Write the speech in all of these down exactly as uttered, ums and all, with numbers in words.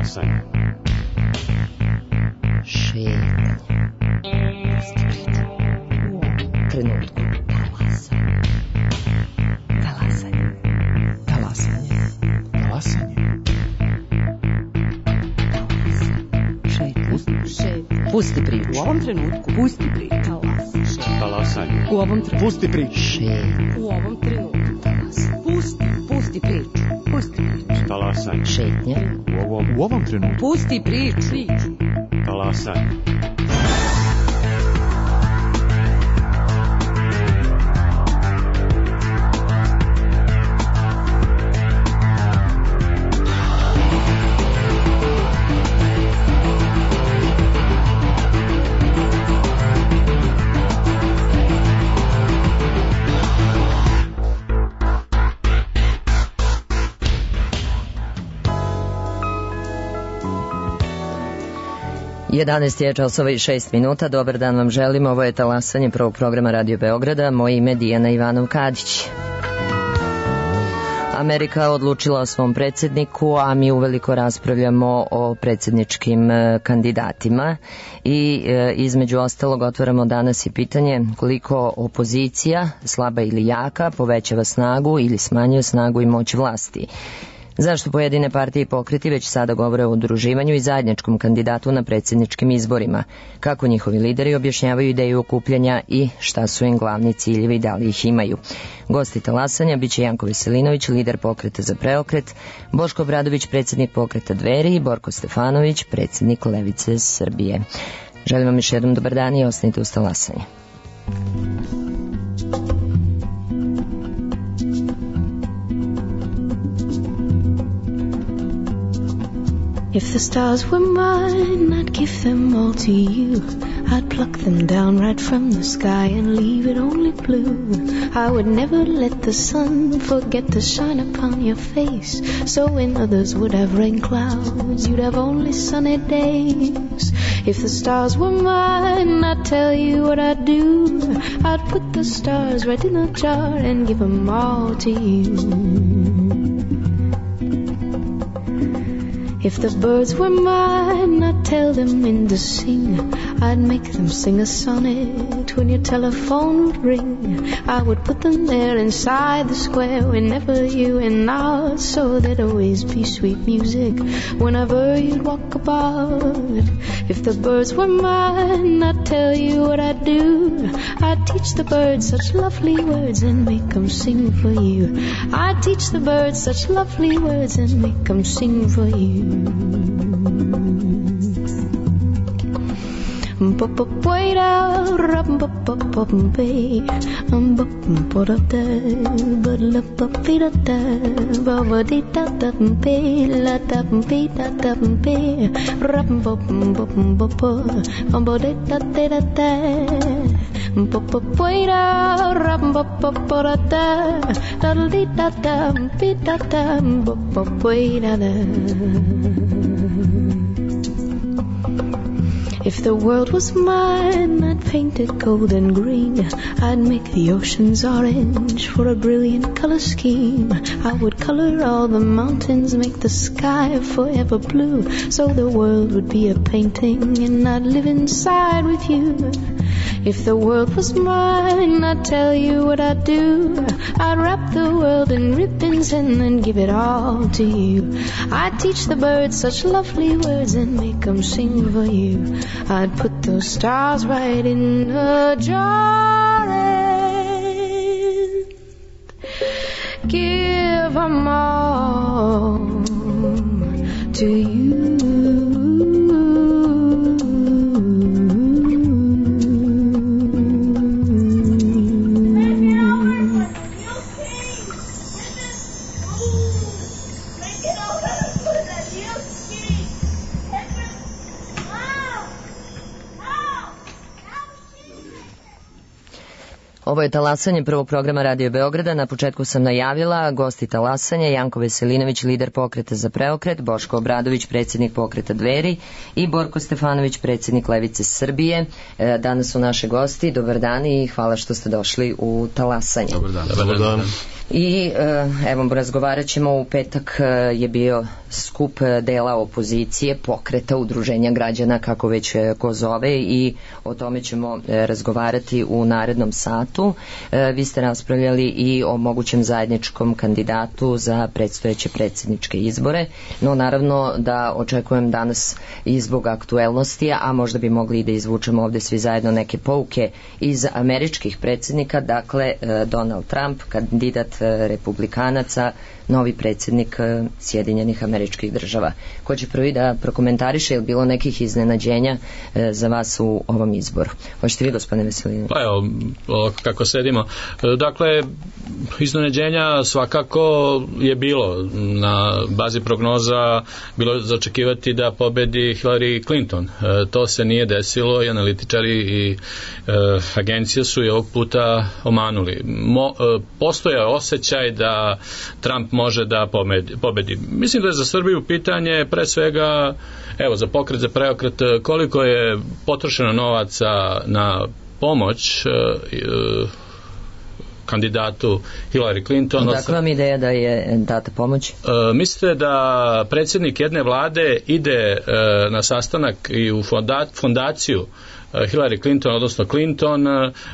Talasanje. Šetanje. Trenutku. Talasanje. Talasanje. Talasanje. Šetanje. Pusti priču. U ovom trenutku. Pusti priču. Talasanje. U ovom trenutku. Pusti priču. Šetanje. U ovom trenutku. Pusti. Pusti priču. Pusti priču. Talasanje. Šetnja. U ovom, u ovom trenutku. Pusti priču. Priču. Talasanje. jedanaest je časova i šest minuta. Dobar dan vam želim. Ovo je Talasanje prvog programa Radio Beograda. Moje ime je Dijana Ivanov-Kadić. Amerika odlučila o svom predsjedniku, a mi uveliko raspravljamo o predsjedničkim kandidatima i e, između ostalog otvaramo danas i pitanje koliko opozicija, slaba ili jaka, povećava snagu ili smanjuje snagu i moć vlasti. Zašto pojedine partije i pokreti već sada govore o udruživanju i zajedničkom kandidatu na predsjedničkim izborima? Kako njihovi lideri objašnjavaju ideju okupljanja i šta su im glavni ciljevi i da li ih imaju? Gosti Talasanja biće Janko Veselinović, lider pokreta za preokret, Boško Obradović, predsjednik pokreta Dveri i Borko Stefanović, predsjednik Levice Srbije. Želim vam još jednom dobar dan i ostanite uz Talasanje. If the stars were mine, I'd give them all to you. I'd pluck them down right from the sky and leave it only blue. I would never let the sun forget to shine upon your face. So when others would have rain clouds, you'd have only sunny days. If the stars were mine, I'd tell you what I'd do. I'd put the stars right in a jar and give them all to you. If the birds were mine, I'd tell them when to sing. I'd make them sing a sonnet when your telephone would ring. I would put them there inside the square whenever you went out, so there'd always be sweet music whenever you'd walk about. If the birds were mine, I'd tell you what I'd do. I'd teach the birds such lovely words and make them sing for you. I'd teach the birds such lovely words and make them sing for you. Ba-ba-ba-da, rum-ba-ba-ba-ba-ba, um-ba-ba-ba-da-da, ba-da-ba-ba-da-da, ba-ba-dee-da-da-ba, la-da-ba-dee-da-da-ba, rum-ba-ba-ba-ba-ba, um-ba-dee-da-da-da-da, ba-ba-ba-da, rum-ba-ba-ba-da-da, da-da-dee-da-da, be-da-da, ba-ba-ba-da-da. If the world was mine, I'd paint it gold and green. I'd make the oceans orange for a brilliant color scheme. I would color all the mountains, make the sky forever blue, so the world would be a painting and I'd live inside with you. If the world was mine, I'd tell you what I'd do. I'd wrap the world in ribbons and then give it all to you. I'd teach the birds such lovely words and make them sing for you. I'd put those stars right in a jar and give them all to you. Ovo je talasanje prvog programa Radio Beograda. Na početku sam najavila gosti talasanja: Janko Veselinović, lider Pokreta za preokret, Boško Obradović, predsjednik Pokreta Dveri i Borko Stefanović, predsjednik Levice Srbije. Danas su naše gosti. Dobar dan i hvala što ste došli u talasanje. Dobar dan. Dobar dan. I evo, razgovarat ćemo. U petak je bio skup dela opozicije, Pokreta, udruženja građana, kako već ko zove, i o tome ćemo razgovarati u narednom satu. Vi ste raspravljali i o mogućem zajedničkom kandidatu za predstojeće predsjedničke izbore, no naravno da očekujem danas i zbog aktuelnosti, a možda bi mogli i da izvučemo ovde svi zajedno neke pouke iz američkih predsjednika. Dakle, Donald Trump, kandidat republikanaca, novi predsjednik Sjedinjenih Američkih Država. Ko će prvi da prokomentariše, je li bilo nekih iznenađenja za vas u ovom izboru? Hoćete vi, gospodine Veselinović? Pa evo, kako sedimo. Dakle, iznenađenja svakako je bilo. Na bazi prognoza bilo zaočekivati da pobedi Hillary Clinton. To se nije desilo i analitičari i e, agencije su i ovog puta omanuli. Mo, e, postoja osjećaj da Trump može da pobedi, pobedi. Mislim da je za Srbiju pitanje pre svega, evo, za Pokret za preokret, koliko je potrošeno novaca na pomoć e, e, kandidatu Hillary Clinton. Dakle, vam ideja da je data pomoć? E, mislite da predsjednik jedne vlade ide e, na sastanak i u fonda, fondaciju Hillary Clinton, odnosno Clinton,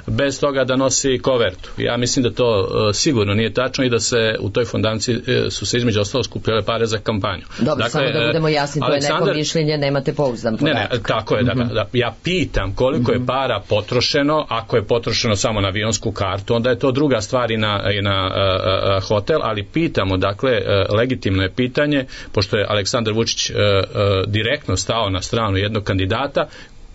bez toga da nosi kovertu? Ja mislim da to sigurno nije tačno i da se u toj fondaciji su se između ostalo skupljale pare za kampanju. Dobro, dakle, samo da budemo jasni, to Aleksandar... je neko mišljenje, nemate pouzdan podatak. Ne, ne, tako je. Mm-hmm. da, da, ja pitam koliko mm-hmm. je para potrošeno. Ako je potrošeno samo na avionsku kartu, onda je to druga stvar i na, i na uh, uh, hotel, ali pitamo, dakle, uh, legitimno je pitanje, pošto je Aleksandar Vučić uh, uh, direktno stao na stranu jednog kandidata,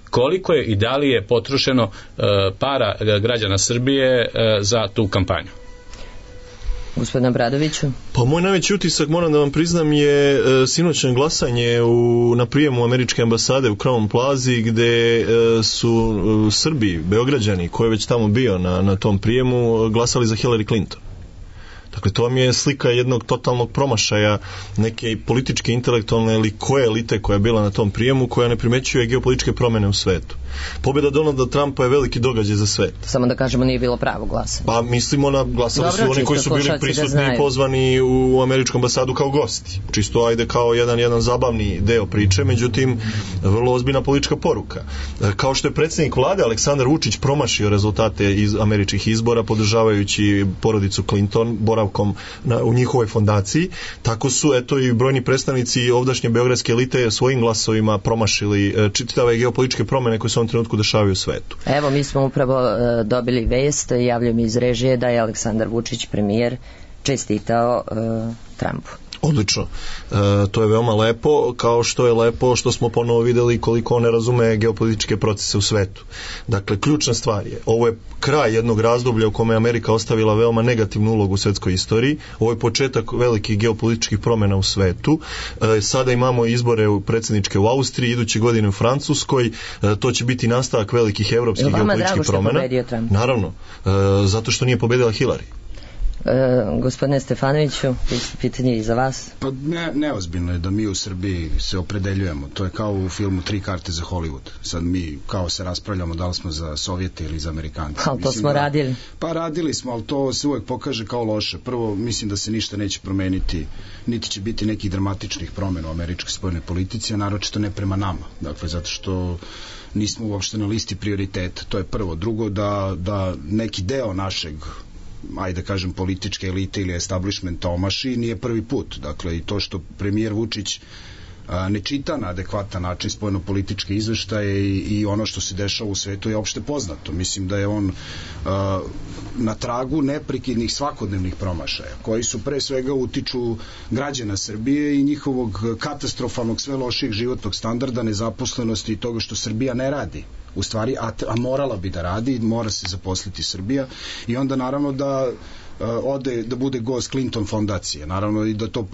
koliko je i da li je potrošeno uh, para građana Srbije uh, za tu kampanju? Gospodine Bradoviću? Pa moj najveći utisak, moram da vam priznam, je e, sinoćno glasanje u, na prijemu američke ambasade u Crown Plazi, gde e, su e, Srbi, Beograđani, ko je već tamo bio na, na tom prijemu, glasali za Hillary Clinton. Dakle, to vam je slika jednog totalnog promašaja neke političke, intelektualne ili koje elite koja je bila na tom prijemu, koja ne primećuje geopolitičke promene u svetu. Pobjeda Donalda Trumpa je veliki događaj za svet. Samo da kažemo, nije bilo pravo glasanje. Pa mislimo na glasali su oni koji su bili prisutni i pozvani u američku ambasadu kao gosti. Čisto ajde kao jedan, jedan zabavni deo priče, međutim, vrlo ozbiljna politička poruka. Kao što je predsjednik vlade Aleksandar Vučić promašio rezultate iz američkih izbora, podržavajući porodicu Clinton, boravkom na, u njihovoj fondaciji, tako su eto i brojni predstavnici ovdašnje beogradske elite svojim glasovima promašili čitave geopolitičke promene koje se u ovom trenutku dešavaju u svetu. Evo, mi smo upravo uh, dobili vest, javljaju mi iz režije, da je Aleksandar Vučić, premijer, čestitao uh, Trumpu. Odlično. E, to je veoma lepo, kao što je lepo što smo ponovo videli koliko on ne razume geopolitičke procese u svetu. Dakle, ključna stvar je, ovo je kraj jednog razdoblja u kome je Amerika ostavila veoma negativnu ulogu u svetskoj istoriji. Ovo je početak velikih geopolitičkih promjena u svetu. E, sada imamo izbore u predsjedničke u Austriji, iduće godine u Francuskoj. E, to će biti nastavak velikih evropskih geopolitičkih promjena. Naravno, e, zato što nije pobedila Hillary. E, gospodine Stefanoviću, pitanje i za vas. Pa ne, neozbiljno je da mi u Srbiji se opredeljujemo. To je kao u filmu Tri karte za Hollywood. Sad mi kao se raspravljamo da li smo za Sovjete ili za Amerikance. Ali to smo da, radili. Pa radili smo, ali to se uvek pokaže kao loše. Prvo, mislim da se ništa neće promeniti, niti će biti nekih dramatičnih promjena u američkoj spoljnoj politici, a naročito ne prema nama. Dakle, zato što nismo uopšte na listi prioriteta. To je prvo. Drugo, da, da neki deo našeg, ajde da kažem, političke elite ili establishmenta omaši, nije prvi put. Dakle, i to što premijer Vučić a, ne čita na adekvatan način spoljno-političke izveštaje i, i ono što se dešava u svetu je opšte poznato. Mislim da je on a, na tragu neprekidnih svakodnevnih promašaja, koji su pre svega utiču građana Srbije i njihovog katastrofalnog sve lošijeg životnog standarda, nezaposlenosti i toga što Srbija ne radi. U stvari, a, a morala bi da radi, mora se zaposliti Srbija, i onda naravno da uh, ode, da bude gost Clinton fondacije, naravno i da to,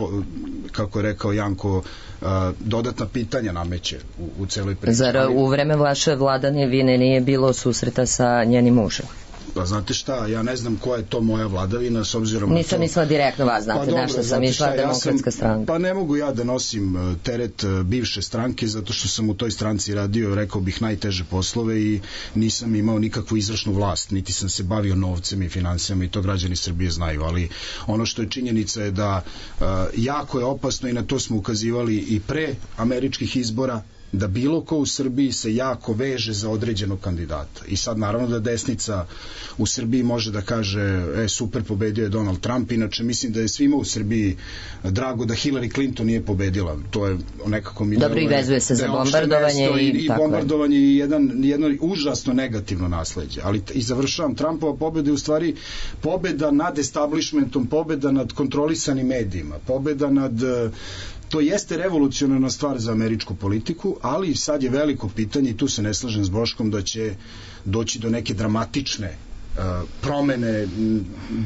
kako je rekao Janko, uh, dodatna pitanja nameće u, u celoj priči. Zar u vreme vaše vladanje vine nije bilo susreta sa njenim mužem? Pa znate šta, ja ne znam koja je to moja vladavina s obzirom na to... Nisam mislila direktno vas, znate, pa dobro, našla sam išla Demokratska ja stranka. Pa ne mogu ja da nosim teret bivše stranke zato što sam u toj stranci radio, rekao bih, najteže poslove i nisam imao nikakvu izvršnu vlast, niti sam se bavio novcem i financijama i to građani Srbije znaju, ali ono što je činjenica je da uh, jako je opasno i na to smo ukazivali i pre američkih izbora, da bilo ko u Srbiji se jako veže za određenog kandidata. I sad naravno da desnica u Srbiji može da kaže e, super, pobedio je Donald Trump, inače mislim da je svima u Srbiji drago da Hillary Clinton nije pobedila. To je nekako... Dobro, i vezuje se za bombardovanje i, i, i bombardovanje je jedan, jedno užasno negativno nasleđe. Ali i završavam, Trumpova pobeda je u stvari pobeda nad establishmentom, pobeda nad kontrolisanim medijima, pobeda nad... To jeste revolucionarna stvar za američku politiku, ali sad je veliko pitanje i tu se ne slažem s Boškom da će doći do neke dramatične uh, promene,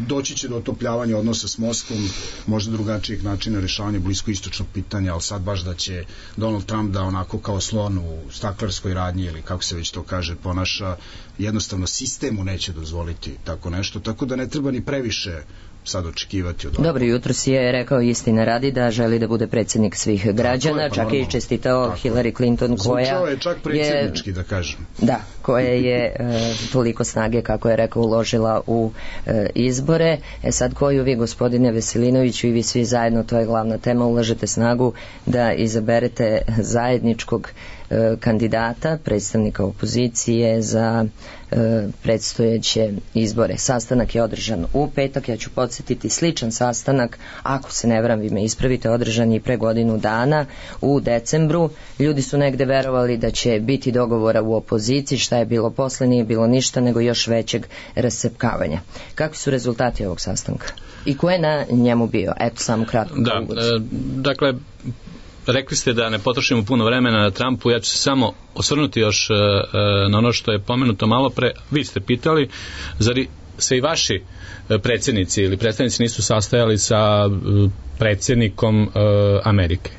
doći će do otopljavanja odnosa s Moskvom, možda drugačijeg načina rešavanja bliskoistočnog pitanja, ali sad baš da će Donald Trump da onako kao slon u staklarskoj radnji ili kako se već to kaže ponaša, jednostavno sistemu neće dozvoliti tako nešto, tako da ne treba ni previše sad očekivati od ovoga. Dobro, jutro si je rekao istina radi da želi da bude predsjednik svih građana, je, pa čak i čestitao tako Hillary Clinton koja Zvučao je čak predsjednički, da kažem. Da, koja je e, toliko snage, kako je rekao, uložila u e, izbore. E sad, koju vi, gospodine Veselinoviću, i vi svi zajedno, to je glavna tema, ulažete snagu da izaberete zajedničkog e, kandidata, predstavnika opozicije za e, predstojeće izbore. Sastanak je održan u petak, ja ću podsjetiti, sličan sastanak, ako se ne varam, vi me ispravite, održan je pre godinu dana u decembru. Ljudi su negde verovali da će biti dogovora u opoziciji, šta je bilo posle, nije bilo ništa nego još većeg rascepkavanja. Kakvi su rezultati ovog sastanka? I ko je na njemu bio? Eto, samo kratko. Da, e, dakle, rekli ste da ne potrošimo puno vremena na Trumpu, ja ću se samo osvrnuti još e, na ono što je pomenuto malo pre. Vi ste pitali, zar se i vaši predsjednici ili predstavnici nisu sastajali sa predsjednikom e, Amerike?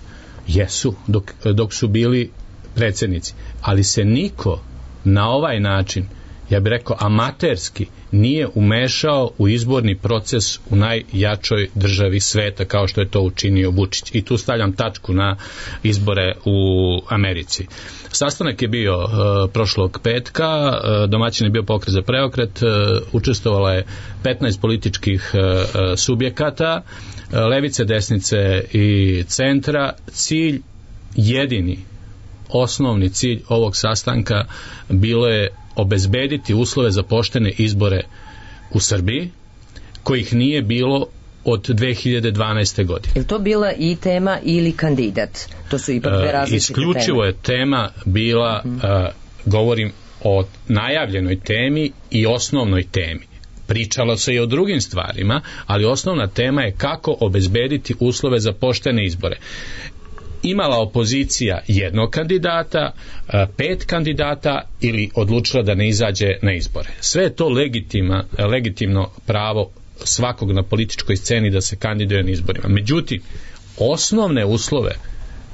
Jesu, dok, dok su bili predsjednici, ali se niko na ovaj način, ja bih rekao amaterski, nije umešao u izborni proces u najjačoj državi sveta kao što je to učinio Vučić. I tu stavljam tačku na izbore u Americi. Sastanak je bio uh, prošlog petka, uh, domaćin je bio Pokret za preokret, uh, učestvovalo je petnaest političkih uh, subjekata, uh, levice, desnice i centra. Cilj jedini, osnovni cilj ovog sastanka bilo je obezbediti uslove za poštene izbore u Srbiji, kojih nije bilo od dve hiljade dvanaeste. godine. Je li to bila i tema ili kandidat? To su ipak dve različite Isključivo teme. je tema bila, uh, govorim o najavljenoj temi i osnovnoj temi. Pričalo se i o drugim stvarima, ali osnovna tema je kako obezbediti uslove za poštene izbore. Imala opozicija jednog kandidata, pet kandidata ili odlučila da ne izađe na izbore. Sve je to legitima, legitimno pravo svakog na političkoj sceni da se kandiduje na izborima. Međutim, osnovne uslove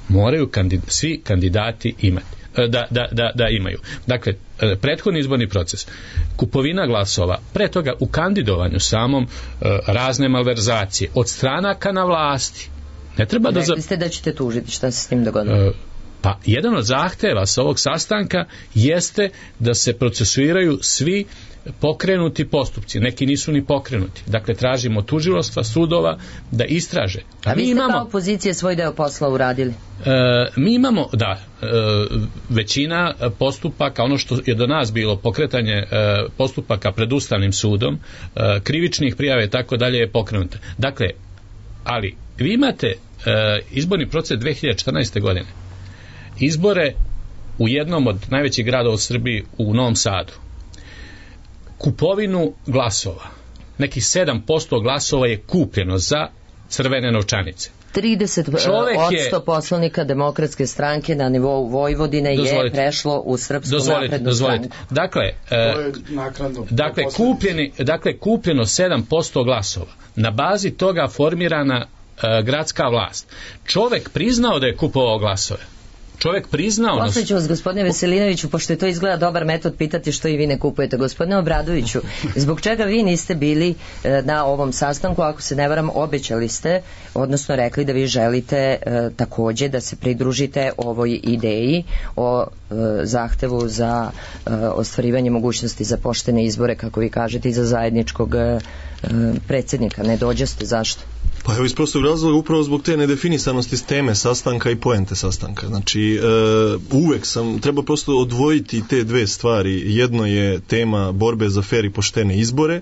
moraju kandid- svi kandidati imati. Da, da, da, da imaju. Dakle, prethodni izborni proces, kupovina glasova, pre toga u kandidovanju samom razne malverzacije od stranaka na vlasti. Ne treba da... Rekli ste da ćete tužiti, šta se s tim dogodilo? Pa, jedan od zahteva sa ovog sastanka jeste da se procesuiraju svi pokrenuti postupci. Neki nisu ni pokrenuti. Dakle, tražimo tužilaštva, sudova da istraže. A, A vi ste imamo, kao opozicije svoj deo posla uradili? E, mi imamo, da, e, većina postupaka, ono što je do nas bilo pokretanje e, postupaka pred Ustavnim sudom, e, krivičnih prijava i tako dalje je pokrenuta. Dakle, ali vi imate e, izborni proces dve hiljade četrnaeste. godine. Izbore u jednom od najvećih gradova u Srbiji, u Novom Sadu. Kupovinu glasova. Nekih sedam posto glasova je kupljeno za crvene novčanice. trideset posto je, poslanika Demokratske stranke na nivou Vojvodine je prešlo u Srpsku naprednu stranku. Dakle, e, dakle, kupljeni, dakle, kupljeno sedam posto glasova. Na bazi toga formirana e, gradska vlast. Čovek priznao da je kupovao glasove. čovjek priznao... Posle ću vas, gospodine Veselinoviću, pošto je to izgleda dobar metod, pitati što i vi ne kupujete. Gospodine Obradoviću, zbog čega vi niste bili na ovom sastanku, ako se ne varam, obećali ste, odnosno rekli da vi želite e, takođe da se pridružite ovoj ideji o e, zahtevu za e, ostvarivanje mogućnosti za poštene izbore, kako vi kažete, i za zajedničkog e, predsjednika. Ne dođaste, zašto? Pa evo, iz prostog razloga, upravo zbog te nedefinisanosti teme sastanka i poente sastanka. Znači, e, uvek sam, treba prosto odvojiti te dve stvari. Jedno je tema borbe za fer i poštene izbore,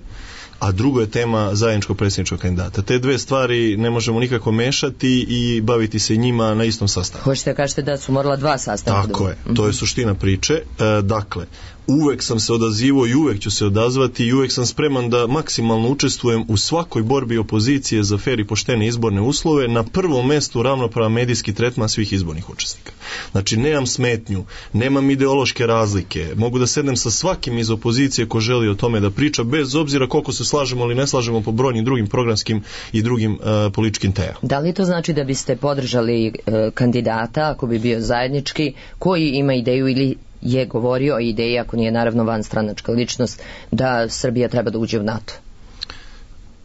a drugo je tema zajedničkog predsjedničkog kandidata. Te dve stvari ne možemo nikako mešati i baviti se njima na istom sastanku. Hoćete da kažete da su morala dva sastanka? Tako je, to je suština priče. E, dakle, uvek sam se odazivao i uvek ću se odazvati i uvek sam spreman da maksimalno učestvujem u svakoj borbi opozicije za fer i poštene izborne uslove, na prvom mestu ravnopravan medijski tretman svih izbornih učesnika. Znači, nemam smetnju, nemam ideološke razlike, mogu da sednem sa svakim iz opozicije ko želi o tome da priča, bez obzira koliko se slažemo ili ne slažemo po brojnim drugim programskim i drugim uh, političkim temama. Da li to znači da biste podržali uh, kandidata, ako bi bio zajednički, koji ima ideju ili je govorio o ideji, ako nije naravno vanstranačka ličnost, da Srbija treba da uđe u NATO?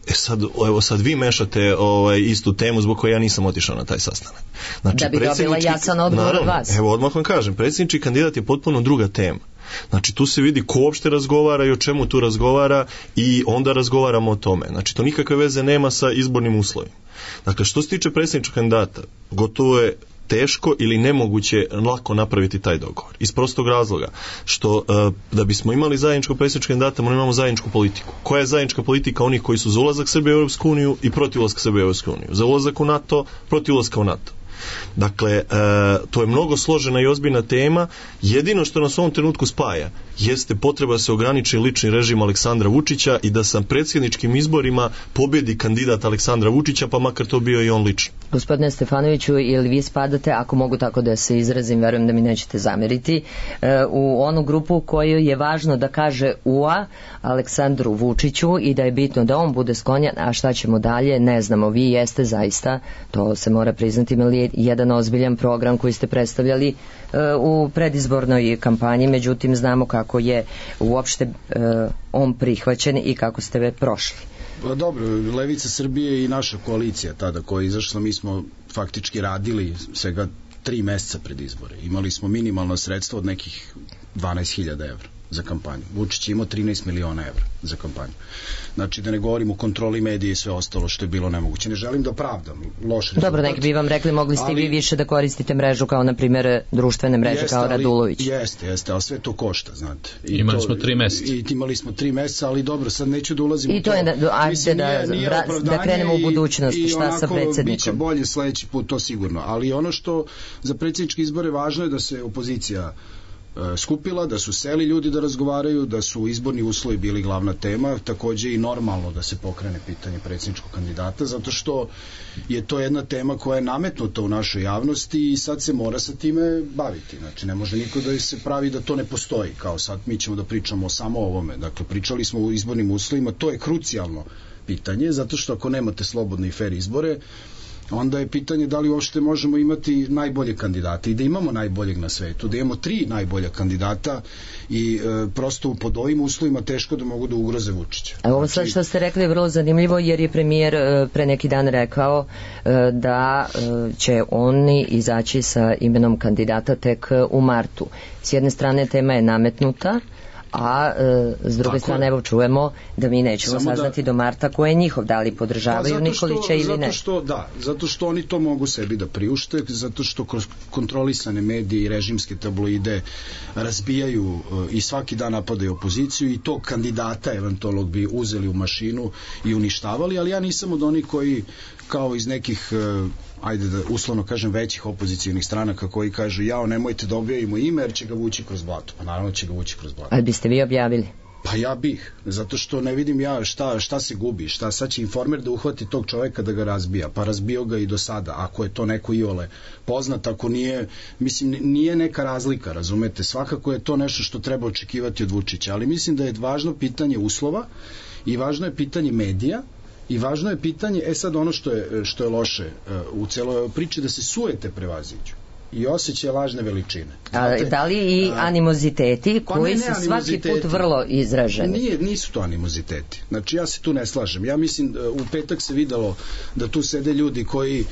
E sad, evo sad vi mešate ovaj, istu temu zbog koje ja nisam otišao na taj sastanak. Znači, da bi dobila jasan odgovor od vas. Evo, odmah vam kažem, predsjednički kandidat je potpuno druga tema. Znači, tu se vidi ko uopšte razgovara i o čemu tu razgovara i onda razgovaramo o tome. Znači, to nikakve veze nema sa izbornim uslovima. Dakle, što se tiče predsjedničkog kandidata, gotovo je teško ili nemoguće lako napraviti taj dogovor. Iz prostog razloga što uh, da bismo imali zajedničkog predsjedničkog kandidata, moramo imamo zajedničku politiku. Koja je zajednička politika onih koji su za ulazak Srbije u Europsku uniju i protiv ulaska Srbije u Europsku uniju? Za ulazak u NATO, protiv ulaska u NATO. Dakle, e, to je mnogo složena i ozbiljna tema. Jedino što nas u ovom trenutku spaja jeste potreba da se ograniči lični režim Aleksandra Vučića i da sa predsjedničkim izborima pobjedi kandidat Aleksandra Vučića, pa makar to bio i on lično. Gospodine Stefanoviću, ili vi spadate, ako mogu tako da se izrazim, verujem da mi nećete zameriti, u onu grupu koju je važno da kaže ua Aleksandru Vučiću i da je bitno da on bude sklonjan, a šta ćemo dalje, ne znamo. Vi jeste zaista, to se mora priznati, imali jedan ozbiljan program koji ste predstavljali u predizbornoj kampanji, međutim znamo kako je uopšte on prihvaćen i kako ste ve prošli. Pa dobro, Levica Srbije i naša koalicija tada koja je izašla, mi smo faktički radili svega tri meseca pred izbore. Imali smo minimalno sredstvo od nekih dvanaest hiljada evra za kampanju. Vučić je imao trinaest miliona evra za kampanju. Znači, da ne govorim o kontroli medije i sve ostalo što je bilo nemoguće. Ne želim da opravdam loš rezultat. Dobro, neki bi vam rekli, mogli ste ali, vi više da koristite mrežu kao, na primjer, društvene mreže jeste, kao Radulović. Ali, jeste, jeste, ali sve to košta, znate. I imali to, smo tri meseca. I imali smo tri meseca, ali dobro, sad neću da ulazim I u to. I to je, da, ajde da, nije da krenemo u budućnost, i, šta sa predsjednikom. I biće bolje sledeći put, to sigurno. Ali ono što za predsjedničke izbore važno je da se opozicija skupila, da su seli ljudi da razgovaraju, da su izborni uslovi bili glavna tema, takođe i normalno da se pokrene pitanje predsjedničkog kandidata, zato što je to jedna tema koja je nametnuta u našoj javnosti i sad se mora sa time baviti. Znači, ne može niko da se pravi da to ne postoji, kao sad mi ćemo da pričamo samo o ovome. Dakle, pričali smo o izbornim uslovima, to je krucijalno pitanje, zato što ako nemate slobodne i fer izbore, onda je pitanje da li uopšte možemo imati najbolje kandidate i da imamo najboljeg na svetu, da imamo tri najbolja kandidata i e, prosto pod ovim uslovima teško da mogu da ugroze Vučića. A ovo sad što ste rekli je vrlo zanimljivo, jer je premijer e, pre neki dan rekao e, da e, će oni izaći sa imenom kandidata tek u martu. S jedne strane tema je nametnuta, a e, s druge Tako strane evo čujemo da mi nećemo Samo saznati da, do marta ko je njihov, da li podržavaju pa Nikolića ili zato ne. Što, da, zato što oni to mogu sebi da priušte, zato što kroz kontrolisane medije i režimske tabloide razbijaju e, i svaki dan napadaju opoziciju i tog kandidata eventualno bi uzeli u mašinu i uništavali, ali ja nisam od onih koji kao iz nekih e, ajde da uslovno kažem većih opozicijnih stranaka koji kažu jao nemojte da objavimo ime jer će ga vući kroz blato. Pa naravno će ga vući kroz blato. Ali biste vi objavili? Pa ja bih, zato što ne vidim ja šta, šta se gubi, šta sad će Informer da uhvati tog čoveka da ga razbija, pa razbio ga i do sada, ako je to neko iole poznat, ako nije, mislim nije neka razlika, razumete, svakako je to nešto što treba očekivati od Vučića, ali mislim da je važno pitanje uslova i važno je pitanje medija. I važno je pitanje, e sad ono što je, što je loše uh, u celoj priči, da se sujete prevaziđu. i osjećaj lažne veličine. A da li i animoziteti pa koji ne, su ne, svaki put vrlo izraženi? Nije, nisu to animoziteti. Znači ja se tu ne slažem. Ja mislim u petak se videlo da tu sede ljudi koji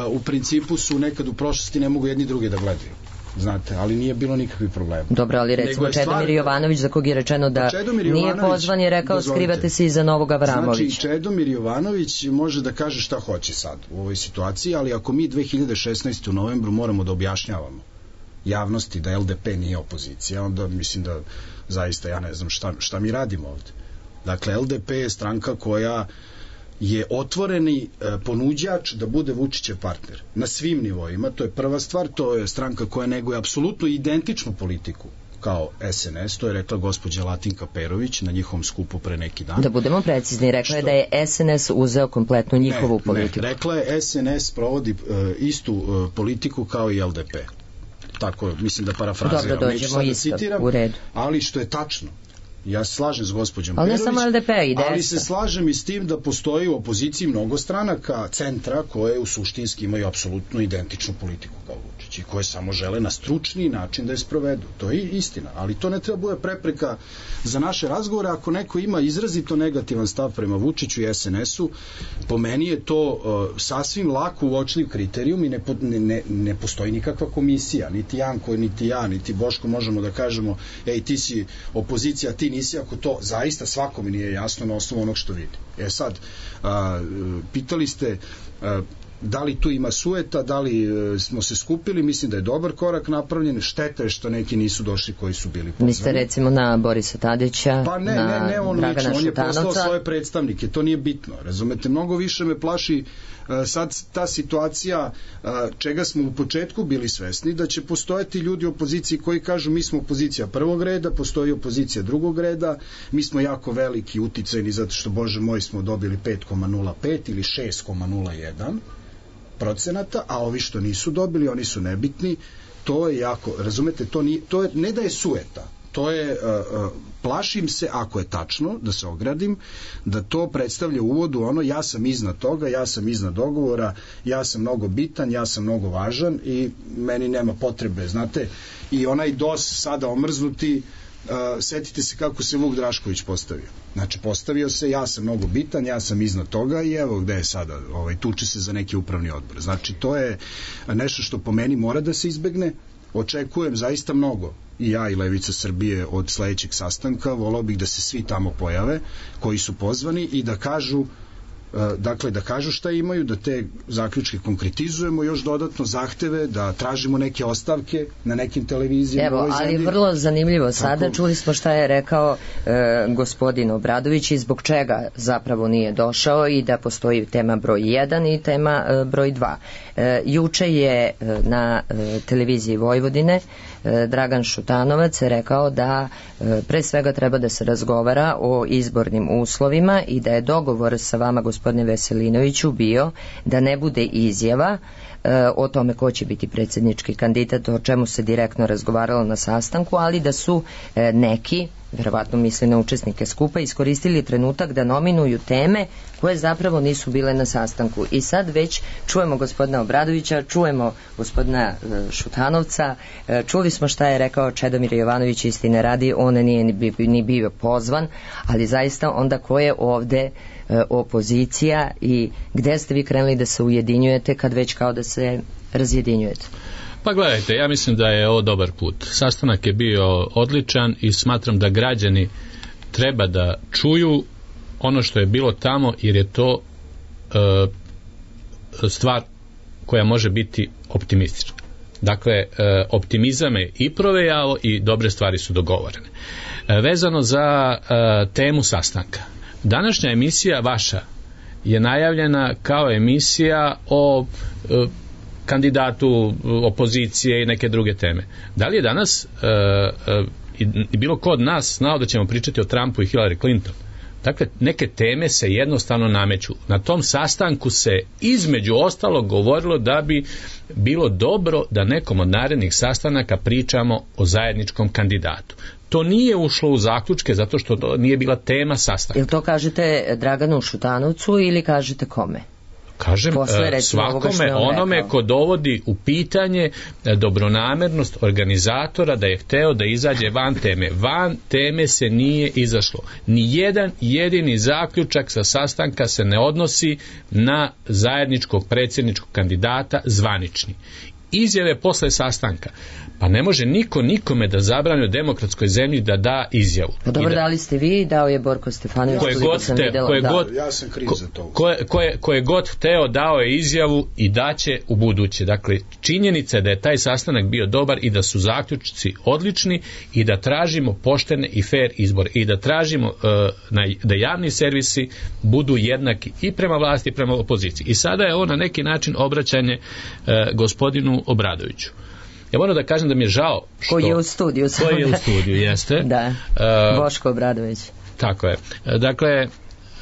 u principu su nekad u prošlosti ne mogu jedni drugi da gledaju. Znate, ali nije bilo nikakvih problema. Dobro, ali recimo Čedomir stvar... Jovanović, za kog je rečeno da nije pozvan, je rekao dozvolite. Skrivate se iza Novog Avramovića. Znači, Čedomir Jovanović može da kaže šta hoće sad u ovoj situaciji, ali ako mi dve hiljade šesnaeste u novembru moramo da objašnjavamo javnosti da L D P nije opozicija, onda mislim da zaista ja ne znam šta, šta mi radimo ovde. Dakle, L D P je stranka koja je otvoreni e, ponuđač da bude Vučićev partner na svim nivoima, to je prva stvar, to je stranka koja neguje apsolutno identičnu politiku kao S N S, to je rekla gospođa Latinka Perović na njihovom skupu pre neki dan. Da budemo precizni, rekla je da je S N S uzeo kompletnu njihovu ne, politiku. Ne, rekla je S N S provodi e, istu e, politiku kao i L D P. Tako, mislim da parafraziram. Dobro, dođemo isto, u redu. Ali što je tačno, ja se slažem s gospođom ali Perović, ne samo L D P, ali se slažem i s tim da postoji u opoziciji mnogo stranaka centra koje u suštinski imaju apsolutno identičnu politiku kao Vučić i koje samo žele na stručni način da je sprovedu. To je istina, ali to ne treba bude prepreka za naše razgovore. Ako neko ima izrazito negativan stav prema Vučiću i S N S-u, po meni je to uh, sasvim lako uočljiv kriterijum i ne, ne, ne postoji nikakva komisija, niti Janko, niti ja, niti Boško možemo da kažemo ej, ti si opozicija, ti nisi, ako to zaista svakome nije jasno na osnovu onog što vidi. E sad, a, pitali ste a, da li tu ima sueta, da li a, smo se skupili, mislim da je dobar korak napravljen, šteta je što neki nisu došli koji su bili pozvani. Mislite recimo na Borisa Tadića, pa ne, na ne, ne on Dragana lično, on je Šutanovca. poslao svoje predstavnike, to nije bitno, razumete, mnogo više me plaši sad ta situacija čega smo u početku bili svesni, da će postojati ljudi u opoziciji koji kažu mi smo opozicija prvog reda, postoji opozicija drugog reda, mi smo jako veliki, uticajni zato što, bože moj, smo dobili pet zarez nula pet ili šest zarez nula jedan procenata, a ovi što nisu dobili, oni su nebitni. To je jako, razumete, to, nije, to je, ne da je sueta, to je, uh, uh, plašim se, ako je tačno, da se ogradim, da to predstavlja uvodu ono, ja sam iznad toga, ja sam iznad dogovora, ja sam mnogo bitan, ja sam mnogo važan i meni nema potrebe, znate, i onaj D O S sada omrznuti, uh, setite se kako se Vuk Drašković postavio. Znači, postavio se, ja sam mnogo bitan, ja sam iznad toga i evo gde je sada, ovaj, tuče se za neki upravni odbor. Znači, to je nešto što po meni mora da se izbegne. Očekujem zaista mnogo, i ja i Levica Srbije, od sledećeg sastanka. Volao bih da se svi tamo pojave koji su pozvani i da kažu, dakle da kažu šta imaju, da te zaključke konkretizujemo, još dodatno zahteve, da tražimo neke ostavke na nekim televizijama. Evo, ali vrlo zanimljivo sada, tako, čuli smo šta je rekao e, gospodin Obradović i zbog čega zapravo nije došao i da postoji tema broj jedan i tema e, broj dva. E, juče je e, na e, televiziji Vojvodine e, Dragan Šutanovac je rekao da e, pre svega treba da se razgovara o izbornim uslovima i da je dogovor sa vama, gospodine Veselinoviću, bio da ne bude izjava e, o tome ko će biti predsjednički kandidat, o čemu se direktno razgovaralo na sastanku, ali da su e, neki, verovatno misli na učesnike skupa, iskoristili trenutak da nominuju teme koje zapravo nisu bile na sastanku. I sad već čujemo gospodina Obradovića, čujemo gospodina e, Šutanovca, e, čuli smo šta je rekao Čedomir Jovanović, istine radi, on nije ni, ni bio pozvan, ali zaista onda ko je ovde opozicija i gde ste vi krenuli da se ujedinjujete kad već kao da se razjedinjujete? Pa gledajte, ja mislim da je ovo dobar put. Sastanak je bio odličan i smatram da građani treba da čuju ono što je bilo tamo, jer je to e, stvar koja može biti optimistična. Dakle, e, optimizam je i provejao i dobre stvari su dogovorene. E, vezano za e, temu sastanka, današnja emisija vaša je najavljena kao emisija o e, kandidatu opozicije i neke druge teme. Da li je danas e, e, i bilo ko od nas znao da ćemo pričati o Trumpu i Hillary Clinton? Dakle, neke teme se jednostavno nameću. Na tom sastanku se između ostalog govorilo da bi bilo dobro da nekom od narednih sastanaka pričamo o zajedničkom kandidatu. To nije ušlo u zaključke zato što to nije bila tema sastanka. Jel to kažete Draganu Šutanovcu ili kažete kome? Kažem, Posle, svakome onome ko dovodi u pitanje dobronamernost organizatora da je hteo da izađe van teme. Van teme se nije izašlo. Ni jedan jedini zaključak sa sastanka se ne odnosi na zajedničkog predsjedničkog kandidata zvanični. Izjave posle sastanka. Pa ne može niko nikome da zabrani u demokratskoj zemlji da da izjavu. Pa dobro, da, dali ste vi, dao je Borko Stefanović. Koje god, te, videla, koje da. god, ja sam kriv za to. Koje, koje, koje god hteo, dao je izjavu i daće u buduće. Dakle, činjenica je da je taj sastanak bio dobar i da su zaključci odlični i da tražimo poštene i fair izbore i da tražimo uh, na, da javni servisi budu jednaki i prema vlasti i prema opoziciji. I sada je ovo na neki način obraćanje uh, gospodinu Obradoviću. Ja moram da kažem da mi je žao što... Koji je u studiju. Koji je u studiju, jeste. Da, Boško Obradović. Tako je. Dakle,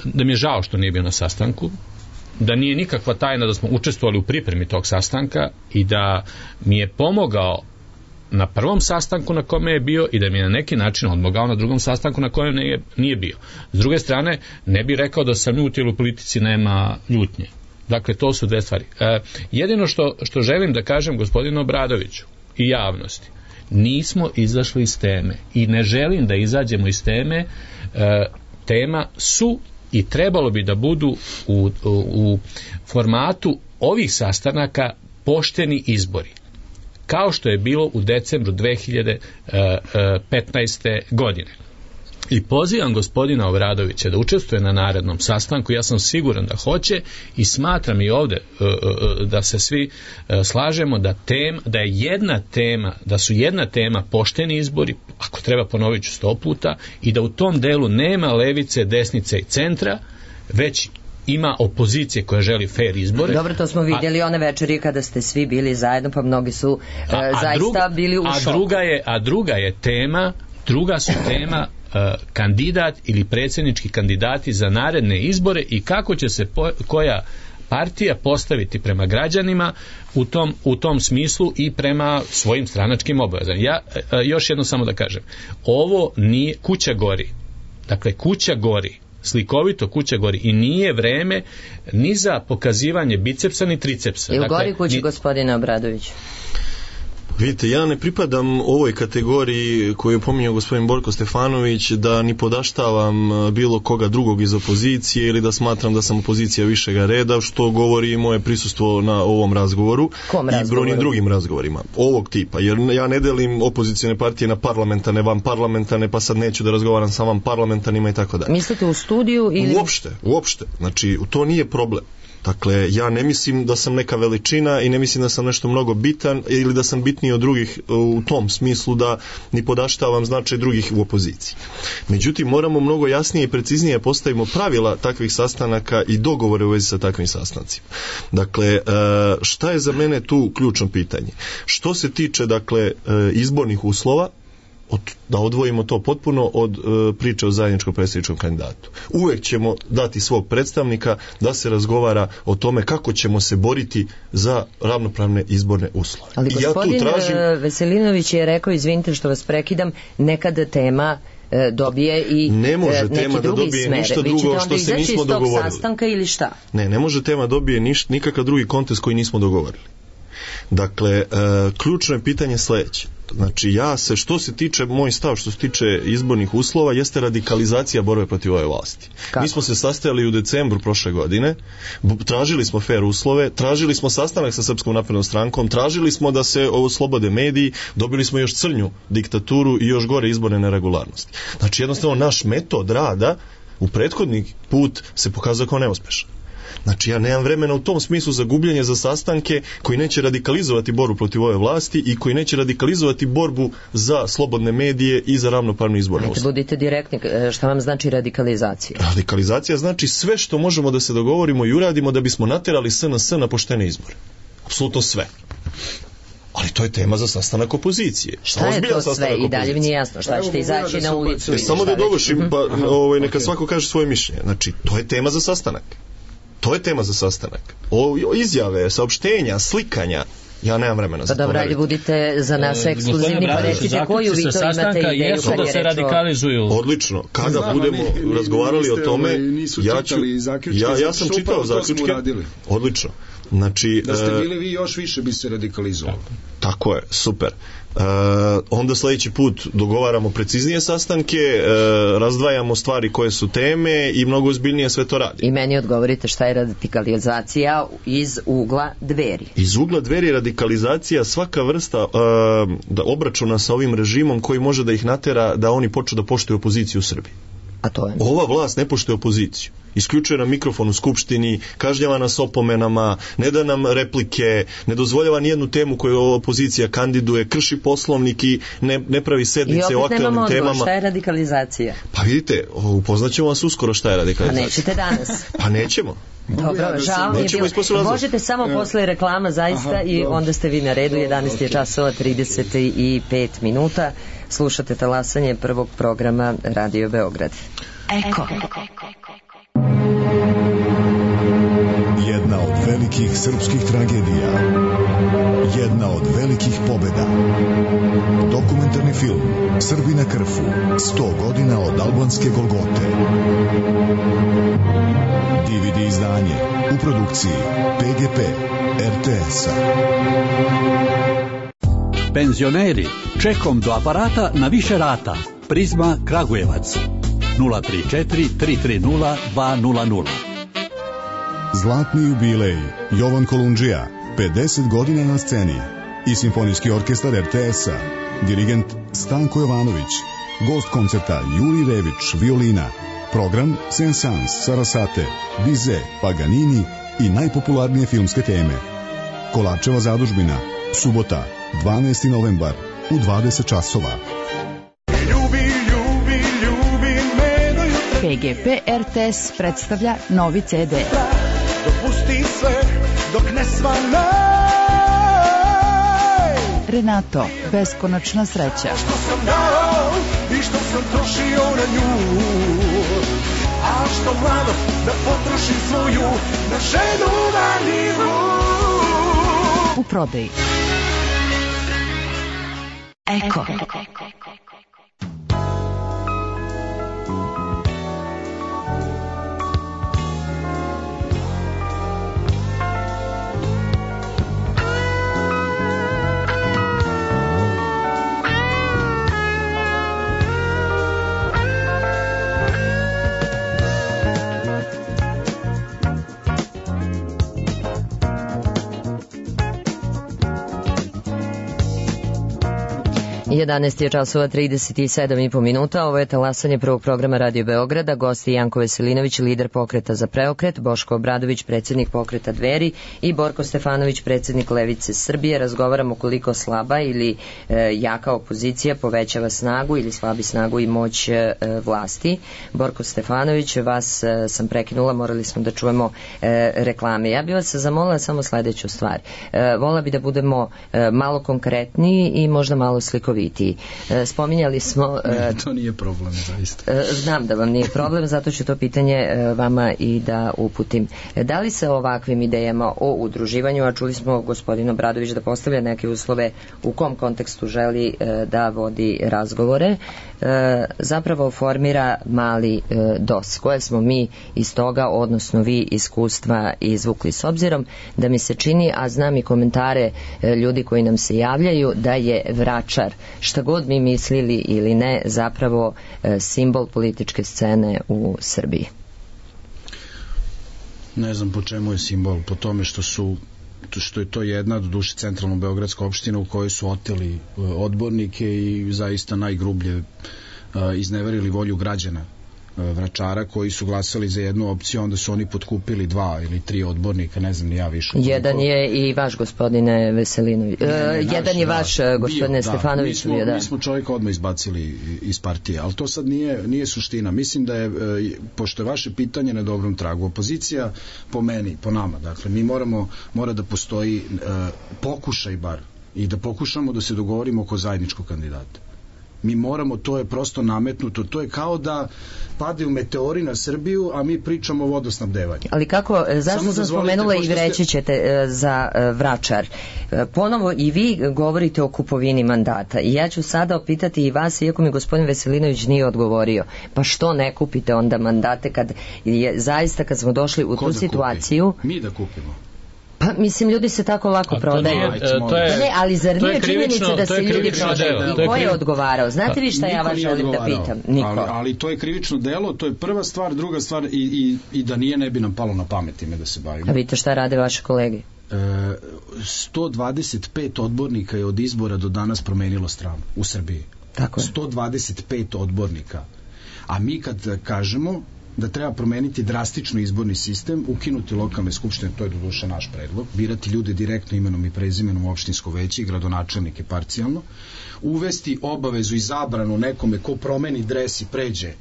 da mi je žao što nije bio na sastanku, da nije nikakva tajna da smo učestvovali u pripremi tog sastanka i da mi je pomogao na prvom sastanku na kome je bio i da mi je na neki način odmogao na drugom sastanku na kojem nije, nije bio. S druge strane, ne bih rekao da sam ljut jer u politici nema ljutnje. Dakle, to su dve stvari. E, jedino što, što želim da kažem gospodinu Obradoviću i javnosti, nismo izašli iz teme i ne želim da izađemo iz teme. E, tema su i trebalo bi da budu u, u, u formatu ovih sastanaka pošteni izbori, kao što je bilo u decembru dve hiljade petnaeste. godine. I pozivam gospodina Obradovića da učestvuje na narednom sastanku, ja sam siguran da hoće i smatram i ovde da se svi slažemo da, tem, da je jedna tema, da su jedna tema pošteni izbori, ako treba ponovit ću sto puta, i da u tom delu nema levice, desnice i centra, već ima opozicije koja želi fair izbore. Dobro, to smo vidjeli a, one večeri kada ste svi bili zajedno, pa mnogi su a, a zaista druga, bili u a šoku. Druga je, a druga je tema, druga su tema kandidat ili predsjednički kandidati za naredne izbore i kako će se po, koja partija postaviti prema građanima u tom, u tom smislu i prema svojim stranačkim obavezama. Ja još jedno samo da kažem, ovo nije, kuća gori, dakle kuća gori, slikovito kuća gori i nije vreme ni za pokazivanje bicepsa ni tricepsa. I u dakle, gori kući ni... gospodina Obradovića. Vidite, ja ne pripadam ovoj kategoriji koju je pominjao gospodin Borko Stefanović, da ni podaštavam bilo koga drugog iz opozicije ili da smatram da sam opozicija višega reda, što govori moje prisustvo na ovom razgovoru Kom i razgovoru? brojnim drugim razgovorima ovog tipa, jer ja ne delim opozicijne partije na parlamentarne, van parlamentarne, pa sad neću da razgovaram sa vam parlamentarnima i tako dalje. Mislite u studiju ili... Uopšte, uopšte, znači to nije problem. Dakle, ja ne mislim da sam neka veličina i ne mislim da sam nešto mnogo bitan ili da sam bitniji od drugih u tom smislu da ni podaštavam značaj drugih u opoziciji. Međutim, moramo mnogo jasnije i preciznije postavimo pravila takvih sastanaka i dogovore u vezi sa takvim sastancima. Dakle, šta je za mene tu ključno pitanje? Što se tiče, dakle, izbornih uslova, od, da odvojimo to potpuno od e, priče o zajedničkom predsjedničkom kandidatu. Uvek ćemo dati svog predstavnika da se razgovara o tome kako ćemo se boriti za ravnopravne izborne uslove. Ali gospodin ja tu tražim... Veselinović je rekao, izvinite što vas prekidam, nekada tema e, dobije i ne može e, neki tema da drugi dobije smer. ništa drugo što se nismo dogovorili. Sastanka ili šta? Ne, ne može tema dobije niš, nikakav drugi kontekst koji nismo dogovorili. Dakle, e, ključno je pitanje sledeće. Znači, ja se, što se tiče, moj stav što se tiče izbornih uslova, jeste radikalizacija borbe protiv ove vlasti. Kako? Mi smo se sastajali u decembru prošle godine, tražili smo fair uslove, tražili smo sastanak sa Srpskom naprednom strankom, tražili smo da se oslobode mediji, dobili smo još crnju diktaturu i još gore izborne neregularnosti. Znači, jednostavno, naš metod rada u prethodni put se pokazao kao neuspešan. Znači, ja nemam vremena u tom smislu za gubljenje za sastanke koji neće radikalizovati borbu protiv ove vlasti i koji neće radikalizovati borbu za slobodne medije i za ravnopravnu izbornu uslov. Budite direktni, šta vam znači radikalizacija? Radikalizacija znači sve što možemo da se dogovorimo i uradimo da bismo naterali S N S na poštene izbore. Apsolutno sve. Ali to je tema za sastanak opozicije. Šta je to sve opozicije. I dalje mi nije jasno šta ćete izaći na ulicu? E, samo da dovršim, pa ovaj, neka svako kaže svoje mišljenje. Znači, to je tema za sastanak. To je tema za sastanak. O, o izjave, saopštenja, slikanja, Ja nemam vremena za to. Pa dobro, ajde budite za nas ekskluzivni, pa recite koju vi to imate ideju jesu da se radikalizuju. Odlično. Kada budemo razgovarali o tome, ja ću... Ja, ja sam čitao zaključke. Odlično. Znači, da ste bili vi još više bi se radikalizovali. Tako je, super. Uh, onda sledeći put dogovaramo preciznije sastanke, uh, razdvajamo stvari koje su teme i mnogo ozbiljnije sve to radi. I meni odgovorite šta je radikalizacija iz ugla Dveri. Iz ugla Dveri radikalizacija svaka vrsta uh, da obračuna sa ovim režimom koji može da ih natera da oni počnu da poštuju opoziciju u Srbiji. A to je... Ova vlast ne poštuje opoziciju. Isključuje nam mikrofon u Skupštini, kažnjava nas opomenama, ne da nam replike, ne dozvoljava nijednu temu koju opozicija kandiduje, krši poslovnik i ne, ne pravi sednice o aktualnim temama. I opet nemamo odgovor, šta je radikalizacija? Pa vidite, upoznaćemo vas uskoro šta je radikalizacija. Pa nećete danas. Pa nećemo. Dobro, žao mi je bilo. Možete samo ja. Posle reklama zaista. Aha, i onda ste vi na redu. jedanaest je časova trideset pet minuta. Slušate talasanje prvog programa Radio Beograd. Eko. Jedna od velikih srpskih tragedija. Jedna od velikih pobeda. Dokumentarni film Srbi na krfu. sto godina od albanske Golgote. D V D izdanje u produkciji P G P R T S-a. Penzioneri, čekom do aparata na više rata. Prizma Kragujevac. nula tri četiri tri tri nula dva nula nula. Zlatni jubilej Jovan Kolundžija, pedeset godina na sceni. I Simfonijski orkestar R T S-a. Dirigent Stanko Jovanović. Gost koncerta Juri Rević, violina. Program Saint-Saëns, Sarasate, Bizet, Paganini i najpopularnije filmske teme. Kolarčeva zadužbina, subota, dvanaesti novembar, u dvadeset časova. Ljubi, ljubi, ljubi me do jutra. P G P R T S predstavlja novi C D. Dopusti sve dok ne svanaj. Renato, beskonačna sreća. Što sam dao i što sam trošio na nju. A što mlado da potrošim svoju na ženu marljivu. U prodaji. Eko. jedanaest je časova trideset sedam i po minuta. Ovo je talasanje prvog programa Radio Beograda. Gosti Janko Veselinović, lider Pokreta za preokret, Boško Obradović, predsjednik Pokreta Dveri i Borko Stefanović, predsjednik Levice Srbije. Razgovaramo koliko slaba ili e, jaka opozicija povećava snagu ili slabi snagu i moć e, vlasti. Borko Stefanović, vas e, sam prekinula, morali smo da čujemo e, reklame. Ja bih vas zamolila samo sledeću stvar. E, vola bi da budemo e, malo konkretniji i možda malo slikoviti. Spominjali smo... Ne, to nije problem, zaista. Znam da vam nije problem, zato ću to pitanje vama i da uputim. Da li se ovakvim idejama o udruživanju, a čuli smo gospodin Obradović da postavlja neke uslove u kom kontekstu želi da vodi razgovore, zapravo formira mali D O S, koje smo mi iz toga, odnosno vi iskustva izvukli, s obzirom da mi se čini, a znam i komentare ljudi koji nam se javljaju, da je Vračar, šta god mi mislili ili ne, zapravo simbol političke scene u Srbiji. Ne znam po čemu je simbol, po tome što su što je to jedna, do duše, centralno beogradska opština u kojoj su oteli odbornike i zaista najgrublje izneverili volju građana Vračara, koji su glasali za jednu opciju, onda su oni potkupili dva ili tri odbornika, ne znam ni ja više. Jedan koliko... je i vaš, gospodine Veselinović. Ne, ne, naš, jedan je da, vaš, gospodine bio, Stefanović. Da, mi, smo, mi smo čovjeka odmah izbacili iz partije, ali to sad nije, nije suština. Mislim da je, pošto je vaše pitanje na dobrom tragu, opozicija po meni, po nama, dakle, mi moramo, mora da postoji uh, pokušaj bar i da pokušamo da se dogovorimo oko zajedničkog kandidata. Mi moramo, to je prosto nametnuto, to je kao da padaju meteori na Srbiju, a mi pričamo o vodosnabdevanju. Ali kako, zašto sam spomenula i vreći ćete ste... za Vračar? Ponovo i vi govorite o kupovini mandata i ja ću sada opitati i vas, iako mi gospodin Veselinović nije odgovorio, pa što ne kupite onda mandate kad je zaista, kad smo došli u Ko tu situaciju... Kupi? Mi da kupimo. Pa, mislim, ljudi se tako lako a prodaju. To nije, to je, ne, ali zar nije činjenica da se ljudi prodaju? Delo. I ko je odgovarao? Znate vi šta ja vas želim da pitam? Niko. Ali, ali to je krivično delo, to je prva stvar, druga stvar i, i, i da nije ne bi nam palo na pamet ime da se bavimo. A vidite šta rade vaše kolege? E, sto dvadeset pet odbornika je od izbora do danas promenilo stranu u Srbiji. Tako je. sto dvadeset pet odbornika. A mi kad kažemo da treba promeniti drastično izborni sistem, ukinuti lokalne skupštine, to je doduše naš predlog, birati ljude direktno imenom i prezimenom u opštinsko veće i gradonačelnike parcijalno, uvesti obavezu i zabranu nekome ko promeni dres i pređe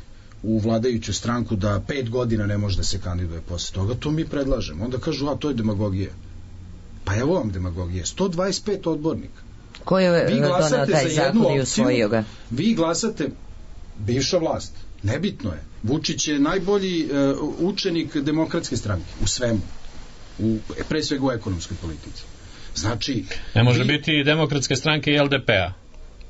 u vladajuću stranku da pet godina ne može da se kandiduje posle toga, to mi predlažemo. Onda kažu, a to je demagogija. Pa evo vam demagogija. sto dvadeset pet odbornika. Ko je donao taj zakon i usvojio ga? Vi glasate, bivša vlast. Nebitno je. Vučić je najbolji uh, učenik demokratske stranke u svemu. U, pre svega u ekonomskoj politici. Znači... Ne može vi... biti i demokratske stranke i L D P-a.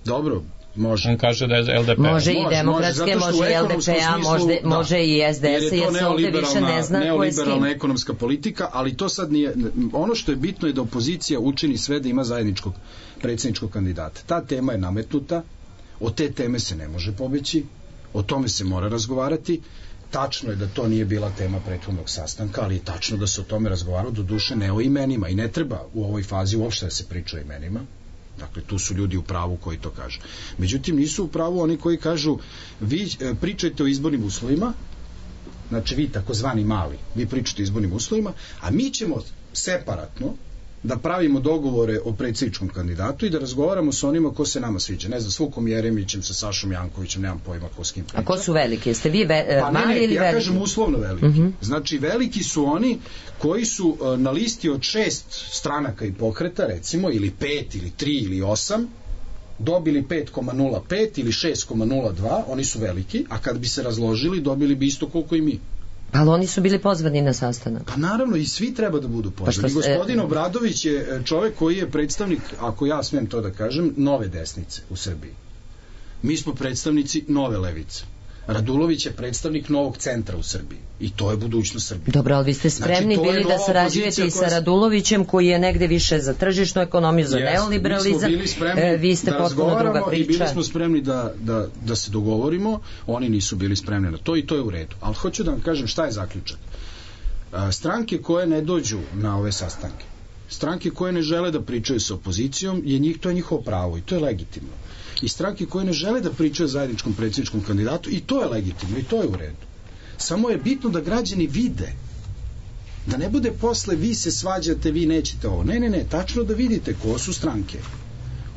Dobro, može. On kaže da je L D P. Može i demokratske, može, može i L D P-a, može, da, može i S D S, jer se ovde više ne zna ko je s kim. Neoliberalna ekonomska politika, ali to sad nije... Ono što je bitno je da opozicija učini sve da ima zajedničkog predsjedničkog kandidata. Ta tema je nametnuta, od te teme se ne može pobeći, o tome se mora razgovarati. Tačno je da to nije bila tema prethodnog sastanka, ali je tačno da se o tome razgovarao, do duše ne o imenima, i ne treba u ovoj fazi uopšte da se priča o imenima. Dakle, tu su ljudi u pravu koji to kažu. Međutim, nisu u pravu oni koji kažu, vi pričajte o izbornim uslovima, znači vi takozvani mali, vi pričate o izbornim uslovima, a mi ćemo separatno da pravimo dogovore o predsjedničkom kandidatu i da razgovaramo sa onima ko se nama sviđa. Ne znam, s Vukom Jeremićem, sa Sašom Jankovićem, nemam pojma ko s kim priča. A ko su veliki? Jeste vi ve, pa mali ne, ne, ili ja veliki? Ja kažem uslovno veliki. Uh-huh. Znači, veliki su oni koji su uh, na listi od šest stranaka i pokreta, recimo, ili pet, ili tri, ili osam, dobili pet zarez nula pet ili šest zarez nula dva, oni su veliki, a kad bi se razložili, dobili bi isto koliko i mi. Ali oni su bili pozvani na sastanak. Pa naravno, i svi treba da budu pozvani. Pa gospodin Obradović je čovjek koji je predstavnik, ako ja smijem to da kažem, nove desnice u Srbiji. Mi smo predstavnici nove levice. Radulović je predstavnik novog centra u Srbiji. I to je budućnost Srbije. Dobro, ali vi ste spremni znači, bili da sarađujete i sa Radulovićem, koji je negde više za tržišnu ekonomiju, za yes, neoliberalizam. Mi smo bili vi ste da potpuno druga priča. I bili smo spremni da, da, da se dogovorimo. Oni nisu bili spremni na to i to je u redu. Ali hoću da vam kažem šta je zaključak. Stranke koje ne dođu na ove sastanke, stranke koje ne žele da pričaju sa opozicijom, je njih, to je njihovo pravo i to je legitimno. I stranke koje ne žele da pričaju o zajedničkom predsjedničkom kandidatu, i to je legitimno i to je u redu. Samo je bitno da građani vide, da ne bude posle vi se svađate, vi nećete ovo. Ne, ne, ne, tačno da vidite ko su stranke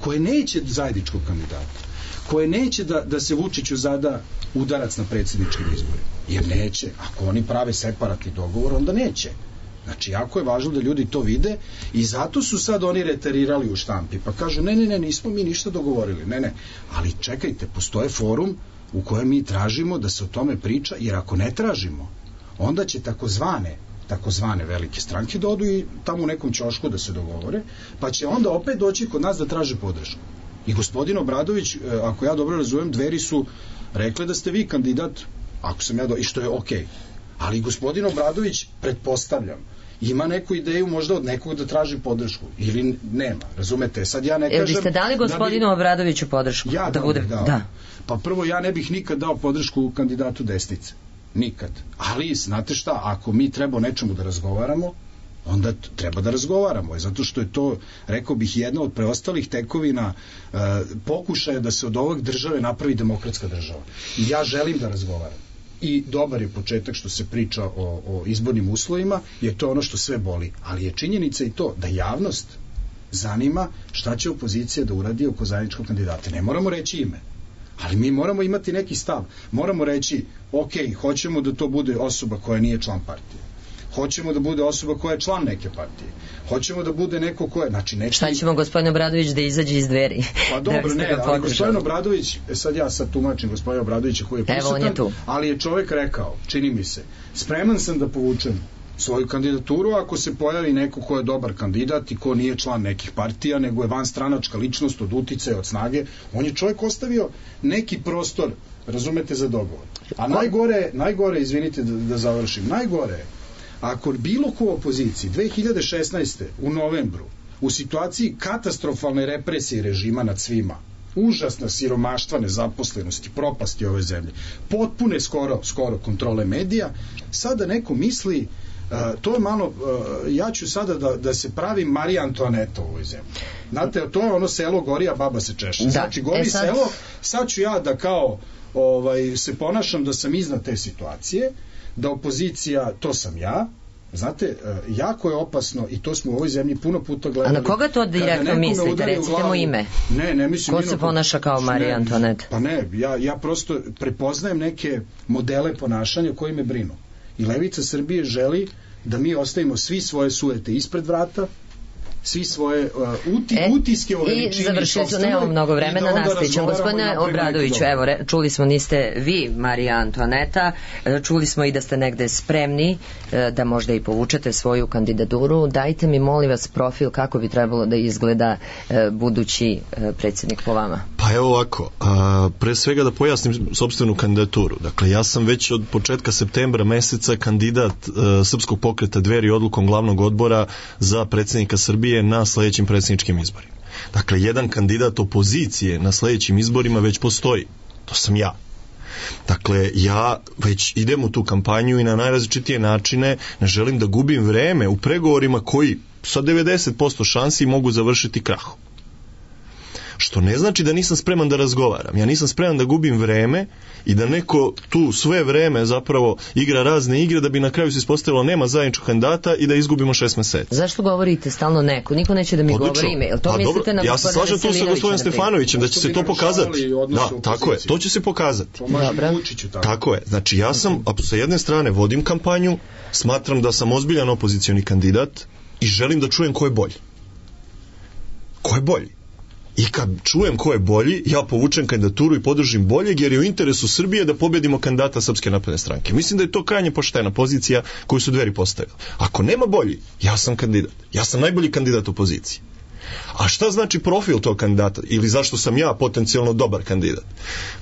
koje neće zajedničkog kandidata, koje neće da, da se Vučiću zada udarac na predsjedničkim izborima. Jer neće. Ako oni prave separatni dogovor, onda neće. Znači, jako je važno da ljudi to vide i zato su sad oni reterirali u štampi. Pa kažu, ne, ne, ne, nismo mi ništa dogovorili. Ne, ne. Ali čekajte, postoje forum u kojem mi tražimo da se o tome priča, jer ako ne tražimo, onda će takozvane takozvane velike stranke da odu i tamo u nekom ćošku da se dogovore, pa će onda opet doći kod nas da traže podršku. I gospodin Obradović, ako ja dobro razumem, Dveri su rekli da ste vi kandidat, ako sam ja do... i što je okej. Okay. Ali gospodin Obradović, pretpostavljam, ima neku ideju možda od nekog da traži podršku ili nema, razumete? Sad ja ne kažem... Jel vi ste dali gospodinu da bi... Obradoviću podršku? Ja da, bude... da. da. Pa prvo, ja ne bih nikad dao podršku kandidatu desnice. Nikad. Ali, znate šta, ako mi treba o nečemu da razgovaramo, onda treba da razgovaramo. Zato što je to, rekao bih, jedna od preostalih tekovina uh, pokušaja da se od ovog države napravi demokratska država. I ja želim da razgovaram. I dobar je početak što se priča o, o izbornim uslovima, jer to je ono što sve boli. Ali je činjenica i to da javnost zanima šta će opozicija da uradi oko zajedničkog kandidata. Ne moramo reći ime, ali mi moramo imati neki stav. Moramo reći, ok, hoćemo da to bude osoba koja nije član partije. Hoćemo da bude osoba koja je član neke partije. Hoćemo da bude neko ko je, znači neki... Šta ćemo gospodin Obradović da izađe iz dveri? Pa dobro, ne, ali gospodin Obradović, sad ja sad tumačim gospodin Obradovića koji je prisutan, ali je čovjek rekao, čini mi se, spreman sam da povučem svoju kandidaturu ako se pojavi neko ko je dobar kandidat i ko nije član nekih partija, nego je vanstranačka ličnost od uticaja, od snage. On je čovjek ostavio neki prostor, razumete, za dogovor. A najgore, najgore, izvinite da, da završim, najgore je ako bilo ko u opoziciji dve hiljade šesnaeste. u novembru u situaciji katastrofalne represije režima nad svima, užasna siromaštva, nezaposlenosti, propasti ove zemlje, potpune skoro, skoro kontrole medija, sada neko misli Uh, to je malo, uh, ja ću sada da, da se pravim Marija Antoaneta u ovoj zemlji. Znate, to je ono selo gori, a baba se češe. Da. Znači, gori e sad... selo, sad ću ja da kao ovaj, se ponašam da sam iznad te situacije, da opozicija, to sam ja. Znate, uh, jako je opasno i to smo u ovoj zemlji puno puta gledali. A na koga to direktno mislite? Recite mu ime. Ne, ne mislim. Ko se ponaša kao Marija Antoaneta? Pa ne, ja, ja prosto prepoznajem neke modele ponašanja koji me brinu. I Levica Srbije želi da mi ostavimo svi svoje sujete ispred vrata, svi svoje uh, uti, e, utiske o veličini i završili su, nemamo mnogo vremena, nastavićemo. Gospodine Obradoviću, evo, re, čuli smo, niste vi Marija Antoaneta, čuli smo i da ste negde spremni da možda i povučete svoju kandidaturu. Dajte mi, molim vas, profil kako bi trebalo da izgleda budući predsjednik po vama. Pa evo ovako, a, pre svega da pojasnim sopstvenu kandidaturu. Dakle, ja sam već od početka septembra meseca kandidat a, Srpskog pokreta Dveri odlukom glavnog odbora za predsjednika Srbije na sledećim predsjedničkim izborima. Dakle, jedan kandidat opozicije na sledećim izborima već postoji. To sam ja. Dakle, ja već idem u tu kampanju i na najrazličitije načine ne želim da gubim vreme u pregovorima koji sa devedeset posto šansi mogu završiti krahom. Što ne znači da nisam spreman da razgovaram. Ja nisam spreman da gubim vreme i da neko tu sve vreme zapravo igra razne igre da bi na kraju se ispostavilo nema zajedničkog kandidata i da izgubimo šest meseci. Zašto govorite stalno neko? Niko neće da mi Odlično. govori ime. Jel to pa mislite na ja se slažem tu sa gospodinom Stefanovićem da će se to pokazati. Da, tako je. To će se pokazati. Tako. tako je. Znači ja sam, sa jedne strane vodim kampanju, smatram da sam ozbiljan opozicioni kandidat i želim da čujem ko je bolji. Ko je bolji? I kad čujem ko je bolji, ja povučem kandidaturu i podržim boljeg, jer je u interesu Srbije da pobedimo kandidata Srpske napredne stranke. Mislim da je to krajnje poštena pozicija koju su Dveri postavili. Ako nema bolji, ja sam kandidat. Ja sam najbolji kandidat opozicije. A šta znači profil tog kandidata? Ili zašto sam ja potencijalno dobar kandidat?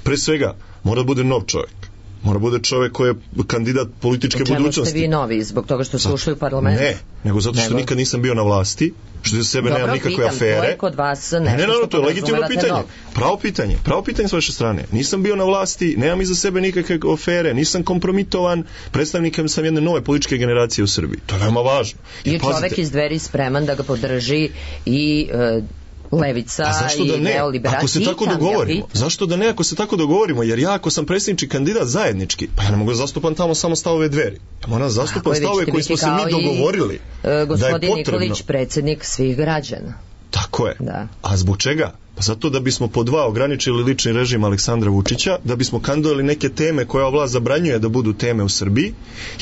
Pre svega, mora da bude nov čovjek. Mora bude čovjek koji je kandidat političke budućnosti. Čemu ste vi novi? Zbog toga što ste ušli u parlament? Ne, nego zato što nego... nikad nisam bio na vlasti, što za sebe nemam nikakve pitam, afere. Dobro, kod vas nešto ne, ne, no, to je legitimno pitanje. Nov. Pravo pitanje. Pravo pitanje s vaše strane. Nisam bio na vlasti, nemam iza sebe nikakve afere, nisam kompromitovan, predstavnikom sam jedne nove političke generacije u Srbiji. To je veoma važno. I je čovek iz Dveri spreman da ga podrži i... Uh, Levica da i neoliberalci. Ako se tako dogovorimo, zašto da ne ako se tako dogovorimo, jer ja ako sam predsjednički kandidat zajednički, pa ja ne mogu da zastupam tamo samo stavove Dveri. Ja moram da zastupam stavove koji smo se mi dogovorili. I, uh, gospodin Nikolić, predsjednik svih građana. Tako je. Da. A zbog čega? Pa zato da bismo po dva ograničili lični režim Aleksandra Vučića, da bismo kandidovali neke teme koje ova vlast zabranjuje da budu teme u Srbiji.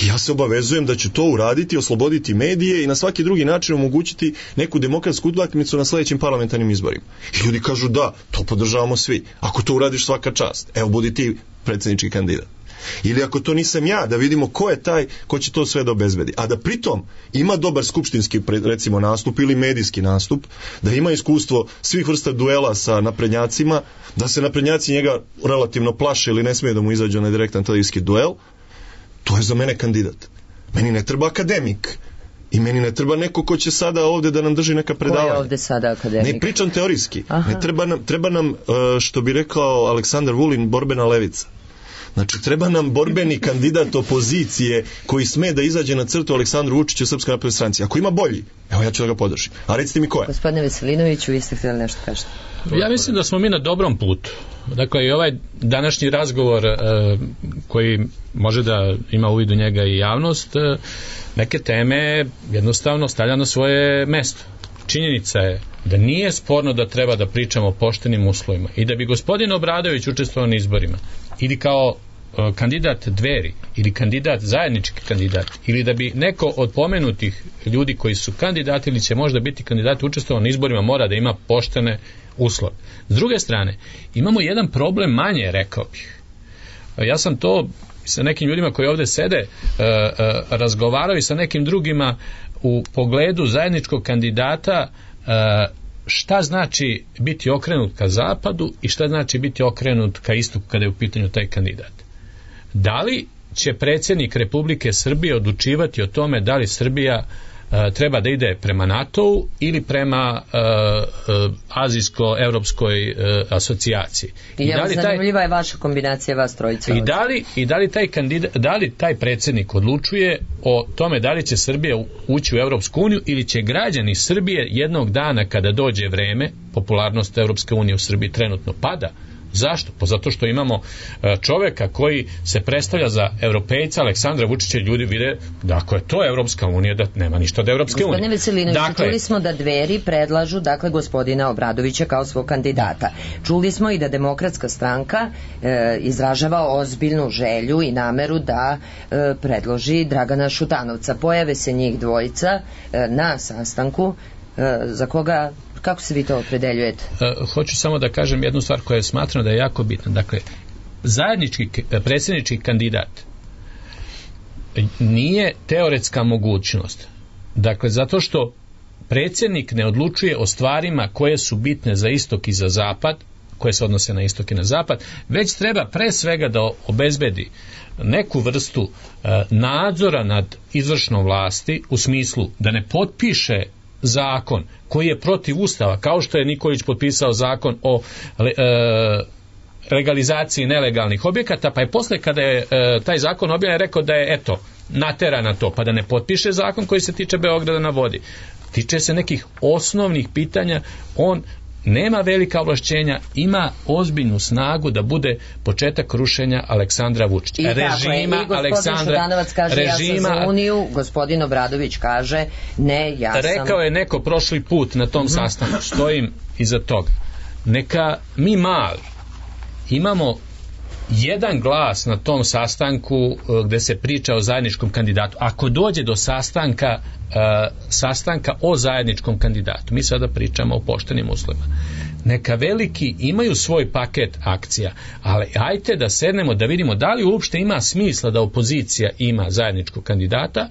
I ja se obavezujem da ću to uraditi, osloboditi medije i na svaki drugi način omogućiti neku demokratsku utakmicu na sledećim parlamentarnim izborima. I ljudi kažu da, to podržavamo svi. Ako to uradiš, svaka čast. Evo, budi ti predsjednički kandidat. Ili ako to nisam ja, da vidimo ko je taj ko će to sve da obezbedi. A da pritom ima dobar skupštinski, recimo, nastup ili medijski nastup, da ima iskustvo svih vrsta duela sa naprednjacima, da se naprednjaci njega relativno plaše ili ne smije da mu izađe na direktan televizijski duel, to je za mene kandidat. Meni ne treba akademik. I meni ne treba neko ko će sada ovde da nam drži neka predavanja. Ko je ovde sada akademik? Ne pričam teorijski. Ne treba nam, treba nam, što bi rekao Aleksandar Vulin, borbena levica. Znači, treba nam borbeni kandidat opozicije koji sme da izađe na crtu Aleksandru Vučiću u Srpskoj naprednoj stranci. Ako ima bolji, evo ja ću da ga podržim. A recite mi ko je? Gospodine Veselinoviću, vi ste htjeli nešto kažete. Ja mislim da smo mi na dobrom putu. Dakle, i ovaj današnji razgovor e, koji može da ima uvid u njega i javnost, e, neke teme jednostavno stavlja na svoje mesto. Činjenica je da nije sporno da treba da pričamo o poštenim uslovima i da bi gospodin Obradović učestvovao na izborima ili kao uh, kandidat Dveri ili kandidat, zajednički kandidat, ili da bi neko od pomenutih ljudi koji su kandidati ili će možda biti kandidati učestvovao na izborima mora da ima poštene uslove. S druge strane, imamo jedan problem manje, rekao bih. Ja sam to sa nekim ljudima koji ovde sede uh, uh, razgovarao i sa nekim drugima u pogledu zajedničkog kandidata, uh, šta znači biti okrenut ka zapadu i šta znači biti okrenut ka istoku kada je u pitanju taj kandidat. Da li će predsjednik Republike Srbije odlučivati o tome da li Srbija uh, treba da ide prema NATO-u ili prema uh, uh, azijsko-evropskoj uh, asocijaciji. I, I da li zanimljiva taj, je vaša kombinacija vas trojica. I da li, i da li taj kandidat, da li taj predsjednik odlučuje o tome da li će Srbija ući u Evropsku uniju ili će građani Srbije jednog dana kada dođe vreme, popularnost Evropske unije u Srbiji trenutno pada. Zašto? Pa zato što imamo čoveka koji se predstavlja za europejca Aleksandra Vučića, ljudi vide da ako je to Evropska unija, da nema ništa od Evropske unije. Gospodine Veselinović, dakle, čuli smo da Dveri predlažu dakle gospodina Obradovića kao svog kandidata. Čuli smo i da Demokratska stranka e, izražava ozbiljnu želju i nameru da e, predloži Dragana Šutanovca. Pojave se njih dvojica e, na sastanku e, za koga. Kako se vi to opredeljujete? Uh, hoću samo da kažem jednu stvar koja je smatrana da je jako bitna. Dakle, zajednički predsjednički kandidat nije teoretska mogućnost. Dakle, zato što predsjednik ne odlučuje o stvarima koje su bitne za istok i za zapad, koje se odnose na istok i na zapad, već treba pre svega da obezbedi neku vrstu uh, nadzora nad izvršnom vlasti u smislu da ne potpiše zakon koji je protiv Ustava, kao što je Nikolić potpisao zakon o e, legalizaciji nelegalnih objekata, pa je posle kada je e, taj zakon objavljen rekao da je eto, natera na to, pa da ne potpiše zakon koji se tiče Beograda na vodi. Tiče se nekih osnovnih pitanja, on nema velika ovlašćenja, ima ozbiljnu snagu da bude početak rušenja Aleksandra Vučića. I režima, tako je, i gospodin Šutanovac kaže režima, ja sam za Uniju, gospodin Obradović kaže ne, ja sam... Rekao je neko prošli put na tom mm-hmm. sastanku, stojim iza toga. Neka mi mali imamo jedan glas na tom sastanku gde se priča o zajedničkom kandidatu. Ako dođe do sastanka uh, sastanka o zajedničkom kandidatu, mi sada pričamo o poštenim uslovima. Neka veliki imaju svoj paket akcija, ali ajte da sednemo da vidimo da li uopšte ima smisla da opozicija ima zajedničkog kandidata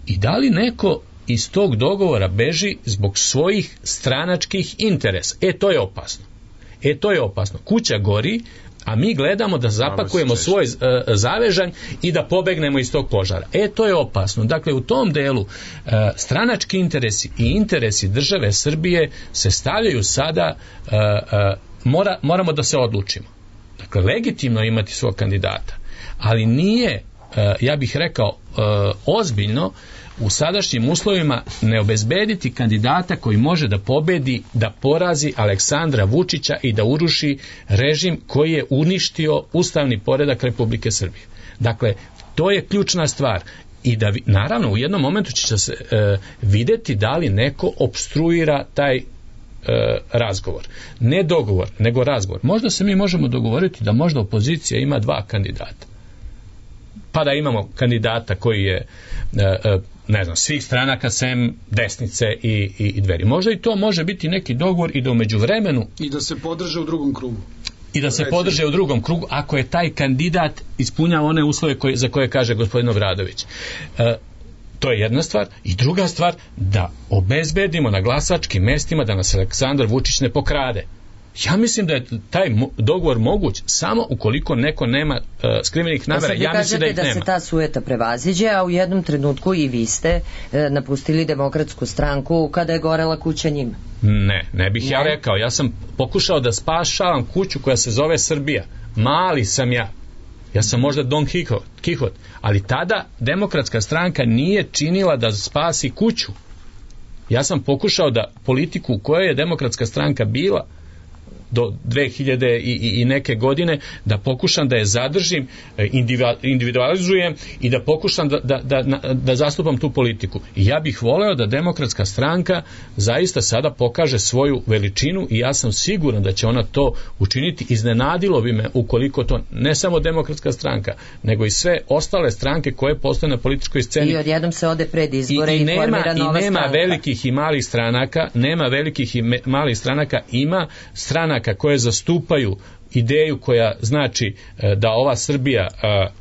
i da li neko iz tog dogovora beži zbog svojih stranačkih interesa. E, to je opasno. E, to je opasno. Kuća gori, a mi gledamo da zapakujemo svoj uh, zavežanj i da pobegnemo iz tog požara. E, to je opasno. Dakle, u tom delu uh, stranački interesi i interesi države Srbije se stavljaju sada, uh, uh, mora, moramo da se odlučimo. Dakle, legitimno imati svog kandidata, ali nije, uh, ja bih rekao, uh, ozbiljno u sadašnjim uslovima ne obezbediti kandidata koji može da pobedi, da porazi Aleksandra Vučića i da uruši režim koji je uništio ustavni poredak Republike Srbije. Dakle, to je ključna stvar. I da, naravno, u jednom momentu će se e, videti da li neko opstruira taj e, razgovor. Ne dogovor, nego razgovor. Možda se mi možemo dogovoriti da možda opozicija ima dva kandidata. Pa da imamo kandidata koji je e, ne znam, svih stranaka sem desnice i, i, i Dveri. Možda i to može biti neki dogovor i da umeđu vremenu i da se podrže u drugom krugu. I da se Reći. podrže u drugom krugu ako je taj kandidat ispunjava one uslove koje, za koje kaže gospodin Obradović. E, to je jedna stvar. I druga stvar, da obezbedimo na glasačkim mestima da nas Aleksandar Vučić ne pokrade. Ja mislim da je taj dogovor moguć samo ukoliko neko nema uh, skrivenih namera. Ja mislim da ih da nema. Da se ta sueta prevaziđe, a u jednom trenutku i vi ste uh, napustili Demokratsku stranku kada je gorela kuća njima. Ne, ne bih ne. ja rekao. Ja sam pokušao da spašavam kuću koja se zove Srbija. Mali sam ja. Ja sam možda Don Kihot. Ali tada Demokratska stranka nije činila da spasi kuću. Ja sam pokušao da politiku u kojoj je Demokratska stranka bila do dve hiljade i, i, i neke godine, da pokušam da je zadržim, individualizujem i da pokušam da, da, da, da zastupam tu politiku. I ja bih voleo da Demokratska stranka zaista sada pokaže svoju veličinu i ja sam siguran da će ona to učiniti. Iznenadilo bi me ukoliko to ne samo Demokratska stranka, nego i sve ostale stranke koje postoje na političkoj sceni. I odjednom se ode pred izbore i, i, i nema, formira nova i nema stranka. velikih i malih stranaka, nema velikih i me, malih stranaka, ima stranaka koje zastupaju ideju koja znači da ova Srbija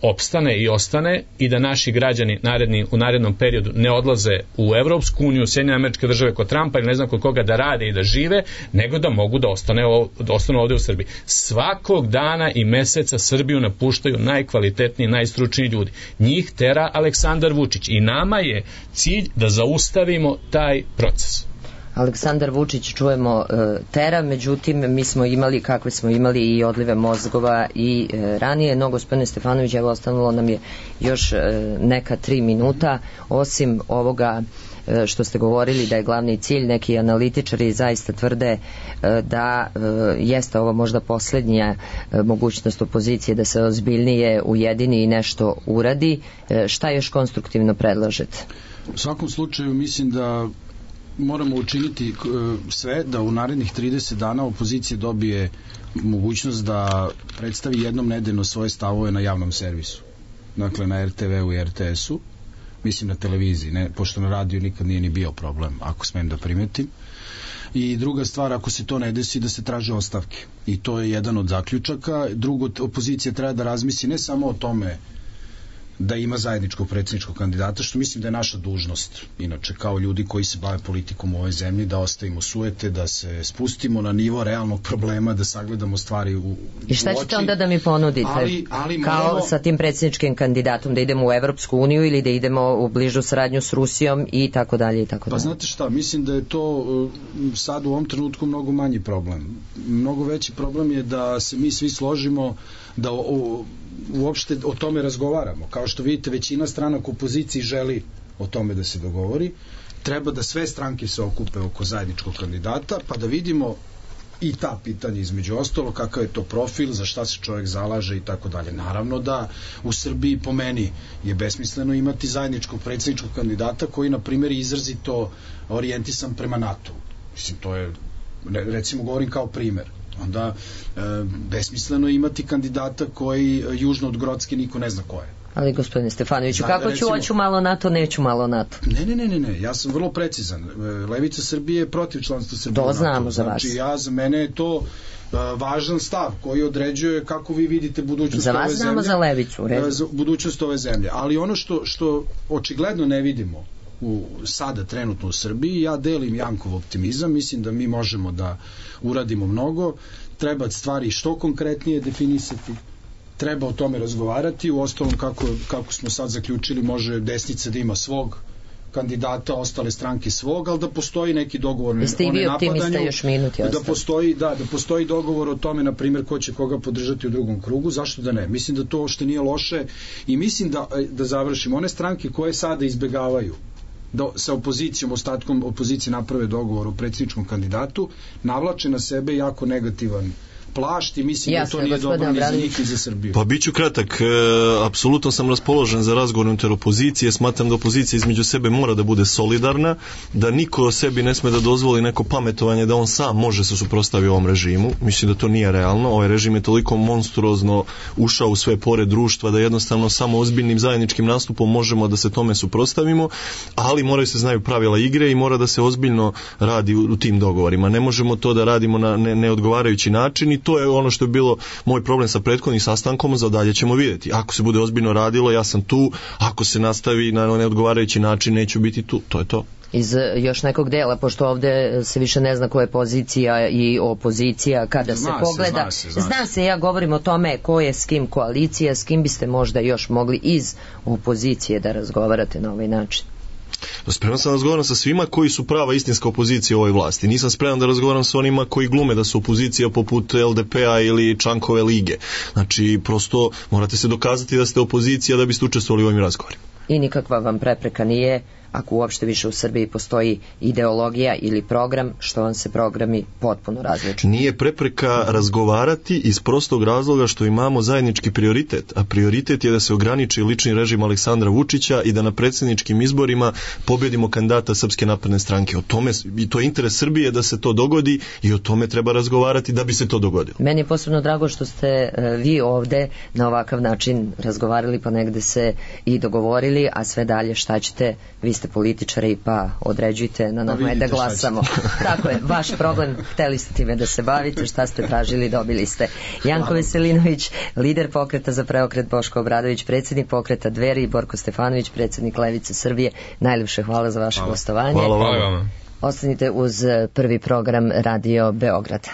opstane i ostane i da naši građani naredni, u narednom periodu ne odlaze u Evropsku uniju, Sjedinjene Američke Države kod Trumpa ili ne znam kod koga da rade i da žive, nego da mogu da ostane, da ostanu ovde u Srbiji. Svakog dana i meseca Srbiju napuštaju najkvalitetniji, najstručniji ljudi. Njih tera Aleksandar Vučić i nama je cilj da zaustavimo taj proces. Aleksandar Vučić, čujemo, tera, međutim mi smo imali, kakve smo imali i odlive mozgova i ranije. No, gospodine Stefanović, evo ostavilo nam je još neka tri minuta, osim ovoga što ste govorili da je glavni cilj, neki analitičari zaista tvrde da jeste ovo možda posljednja mogućnost opozicije da se ozbiljnije ujedini i nešto uradi. Šta još konstruktivno predlažete? U svakom slučaju mislim da moramo učiniti sve da u narednih trideset dana opozicija dobije mogućnost da predstavi jednom nedeljno svoje stavove na javnom servisu. Dakle, na er te ve u i er te esu, mislim na televiziji, ne, pošto na radiju nikad nije ni bio problem, ako smem da primetim. I druga stvar, ako se to ne desi, da se traže ostavke. I to je jedan od zaključaka. Drugo, opozicija treba da razmisli ne samo o tome da ima zajedničkog predsjedničkog kandidata, što mislim da je naša dužnost, inače, kao ljudi koji se bave politikom u ovoj zemlji, da ostavimo sujete, da se spustimo na nivo realnog problema, da sagledamo stvari u, u oči. I šta ćete onda da mi ponudite? Ali, ali kao moramo... sa tim predsjedničkim kandidatom, da idemo u Evropsku uniju ili da idemo u bližu saradnju s Rusijom i tako dalje i tako dalje? Pa znate šta, mislim da je to sad u ovom trenutku mnogo manji problem. Mnogo veći problem je da se mi svi složimo da o, o, uopšte o tome razgovaramo. Kao što vidite, većina stranaka u opoziciji želi o tome da se dogovori. Treba da sve stranke se okupe oko zajedničkog kandidata, pa da vidimo i ta pitanja između ostalo, kakav je to profil, za šta se čovjek zalaže i tako dalje. Naravno da u Srbiji, po meni, je besmisleno imati zajedničkog predsjedničkog kandidata koji, na primjer, izrazito orijentisan prema NATO. Mislim, to je, recimo, govorim kao primjer. Onda e, besmisleno imati kandidata koji južno od Grocke niko ne zna ko je. Ali gospodine Stefanoviću, da, kako recimo, ću, hoću malo NATO, neću malo NATO? Ne, ne, ne, ne, ne, ja sam vrlo precizan. Levica Srbije je protiv članstva Srbije. To znamo za vas. Znači, ja, za mene je to uh, važan stav koji određuje kako vi vidite budućnost ove zemlje. Za vas znamo za Levicu, redu. Za budućnost ove zemlje. Ali ono što, što očigledno ne vidimo u, sada trenutno u Srbiji, ja delim Jankov optimizam, mislim da mi možemo da uradimo mnogo, treba stvari što konkretnije definisati, treba o tome razgovarati, u ostalom kako, kako smo sad zaključili, može desnica da ima svog kandidata, ostale stranke svog, ali da postoji neki dogovor o nenapadanju, još minuti da postoji, da, da postoji dogovor o tome, na primjer, ko će koga podržati u drugom krugu, zašto da ne? Mislim da to uopšte nije loše i mislim da, da završim, one stranke koje sada izbegavaju da sa opozicijom, ostatkom opozicije naprave dogovor o predsjedničkom kandidatu, navlače na sebe jako negativan plašt i mislim Jasne, da to nije dobro ni za njih ni za Srbiju. Pa biću kratak, e, apsolutno sam raspoložen za razgovor unutar opozicije, smatram da opozicija između sebe mora da bude solidarna, da niko sebi ne sme da dozvoli neko pametovanje da on sam može se suprotstaviti ovom režimu, mislim da to nije realno, ovaj režim je toliko monstruozno ušao u sve pore društva da jednostavno samo ozbiljnim zajedničkim nastupom možemo da se tome suprotstavimo, ali moraju se znaju pravila igre i mora da se ozbiljno radi u, u tim dogovorima, ne možemo to da radimo na ne, neodgovarajući način i to je ono što je bilo moj problem sa prethodnim sastankom, za dalje ćemo vidjeti. Ako se bude ozbiljno radilo, ja sam tu, ako se nastavi na neodgovarajući način, neću biti tu, to je to. Iz još nekog dela, pošto ovde se više ne zna ko je pozicija i opozicija, kada zna se pogleda, se, zna se, zna, zna se, ja govorim o tome ko je s kim koalicija, s kim biste možda još mogli iz opozicije da razgovarate na ovaj način. Spreman sam da razgovaram sa svima koji su prava istinska opozicija u ovoj vlasti. Nisam spreman da razgovaram sa onima koji glume da su opozicija poput el de pe a ili Čankove lige. Znači, prosto morate se dokazati da ste opozicija da biste učestvovali u ovim razgovorima. I nikakva vam prepreka nije, ako uopšte više u Srbiji postoji ideologija ili program, što vam se programi potpuno različuju. Nije prepreka razgovarati iz prostog razloga što imamo zajednički prioritet, a prioritet je da se ograniči lični režim Aleksandra Vučića i da na predsjedničkim izborima pobjedimo kandidata Srpske napredne stranke. O tome, i to je interes Srbije da se to dogodi i o tome treba razgovarati da bi se to dogodilo. Meni je posebno drago što ste vi ovde na ovakav način razgovarali, pa negde se i dogovorili, a sve dalje šta ćete, vi ste političari pa određujte, na nama je da glasamo. Tako je, vaš problem, hteli ste time da se bavite, šta ste tražili, dobili ste. Janko Veselinović, lider pokreta za preokret, Boško Obradović, predsjednik pokreta Dveri, i Borko Stefanović, predsjednik Levice Srbije. Najljepše hvala za vaše gostovanje. Hvala vam. Ostanite uz prvi program Radio Beograda.